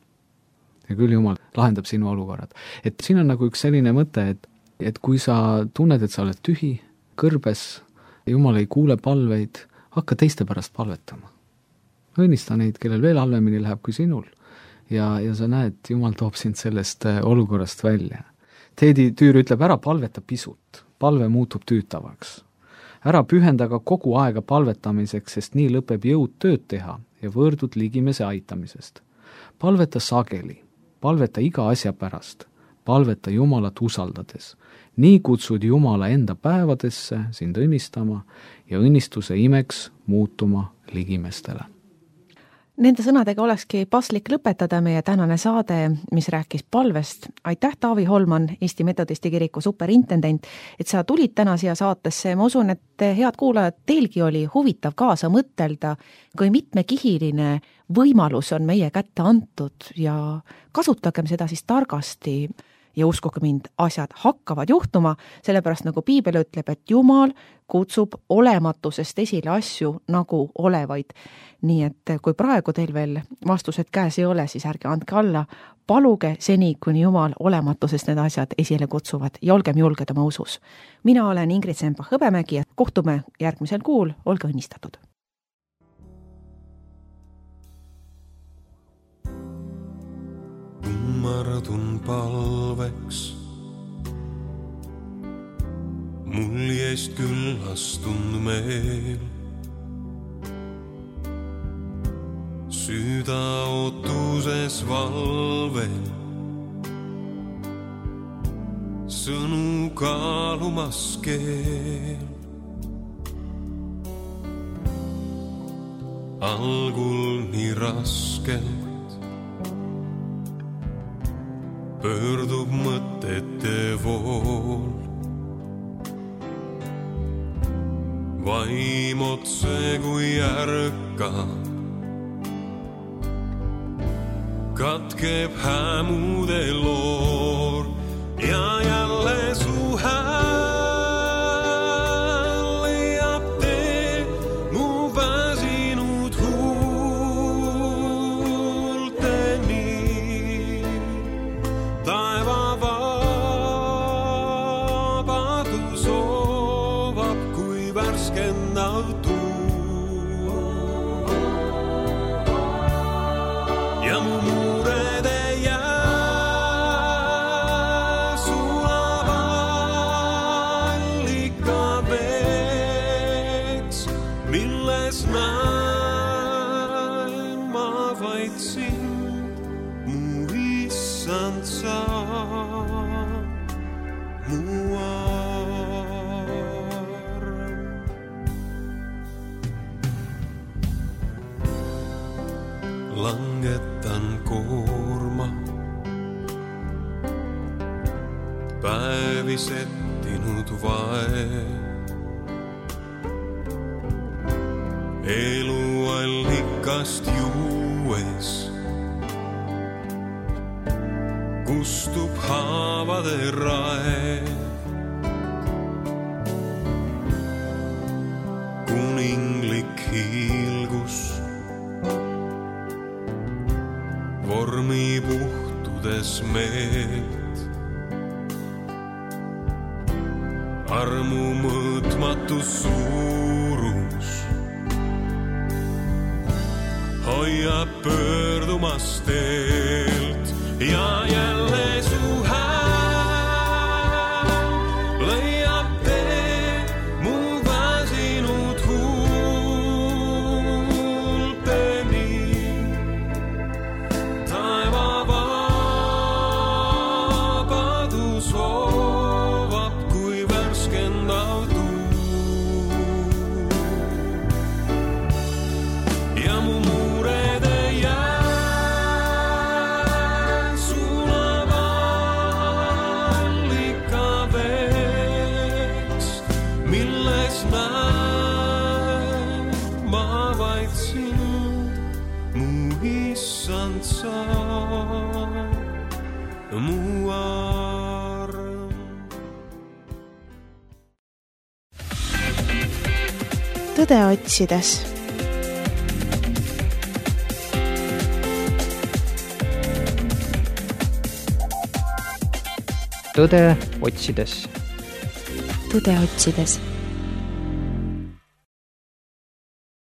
Ja küll Jumal lahendab sinu olukorrad. Et siin on nagu üks selline mõte, et kui sa tunned, et sa oled tühi, kõrbes, Jumal ei kuule palveid, hakka teiste pärast palvetama. Õnnista neid, kellel veel halvemini läheb kui sinul. Ja sa näed, Jumal toob sind sellest olukorrast välja. Teedi Tüür ütleb, ära palveta pisut, palve muutub tüütavaks. Ära pühendaga kogu aega palvetamiseks, sest nii lõpeb jõud tööd teha ja võõrdud ligimese aitamisest. Palveta sageli, palveta iga asja pärast, palveta Jumalat usaldades. Nii kutsud Jumala enda päevadesse sind õnnistama ja õnnistuse imeks muutuma ligimestele. Nende sõnadega olekski paslik lõpetada meie tänane saade, mis rääkis palvest. Aitäh, Taavi Holman, Eesti Metodisti kiriku superintendent, et sa tulid täna siia saatesse. Ma usun, et head kuulajad, teilgi oli huvitav kaasa mõtelda, kui mitmekihiline võimalus on meie kätte antud ja kasutagem seda siis targasti. Ja uskuge mind, asjad hakkavad juhtuma, sellepärast nagu Piibel ütleb, et Jumal kutsub olematusest esile asju nagu olevaid. Nii et kui praegu teil veel vastused käes ei ole, siis ärge andke alla, paluge seni, kuni Jumal olematusest need asjad esile kutsuvad ja olgem julged oma usus. Mina olen Ingrid Sempa-Hõbemägi ja kohtume järgmisel kuul, olge õnnistatud. Kummardun palveks, mul jäist küllastund meel. Süda ootuses valvel, sõnu kaalumas keel. Algul nii raskelt pöördub mõtete vool. Vaim otse kui ärkab, katkeb hämude loor ja jälle su hääl leiab tee mu väsinud huulteni. Taeva vabadus soovab kui värskendav tuul ja mu langetan koorma, päevi settinud vae. Elu nurgast juues kustub haavade rae. Kuninglik hiilgus vormi puhtudes meelt. Armu mõõtmatu suurus hoiab pöördumas teelt ja jälle su hääl leiab tee mu väsinud huulteni. Taeva vabadus hoovab kui värskendav tuu ja mu muurede mu arm. Tõde otsides. Tõde otsides. Tõde otsides.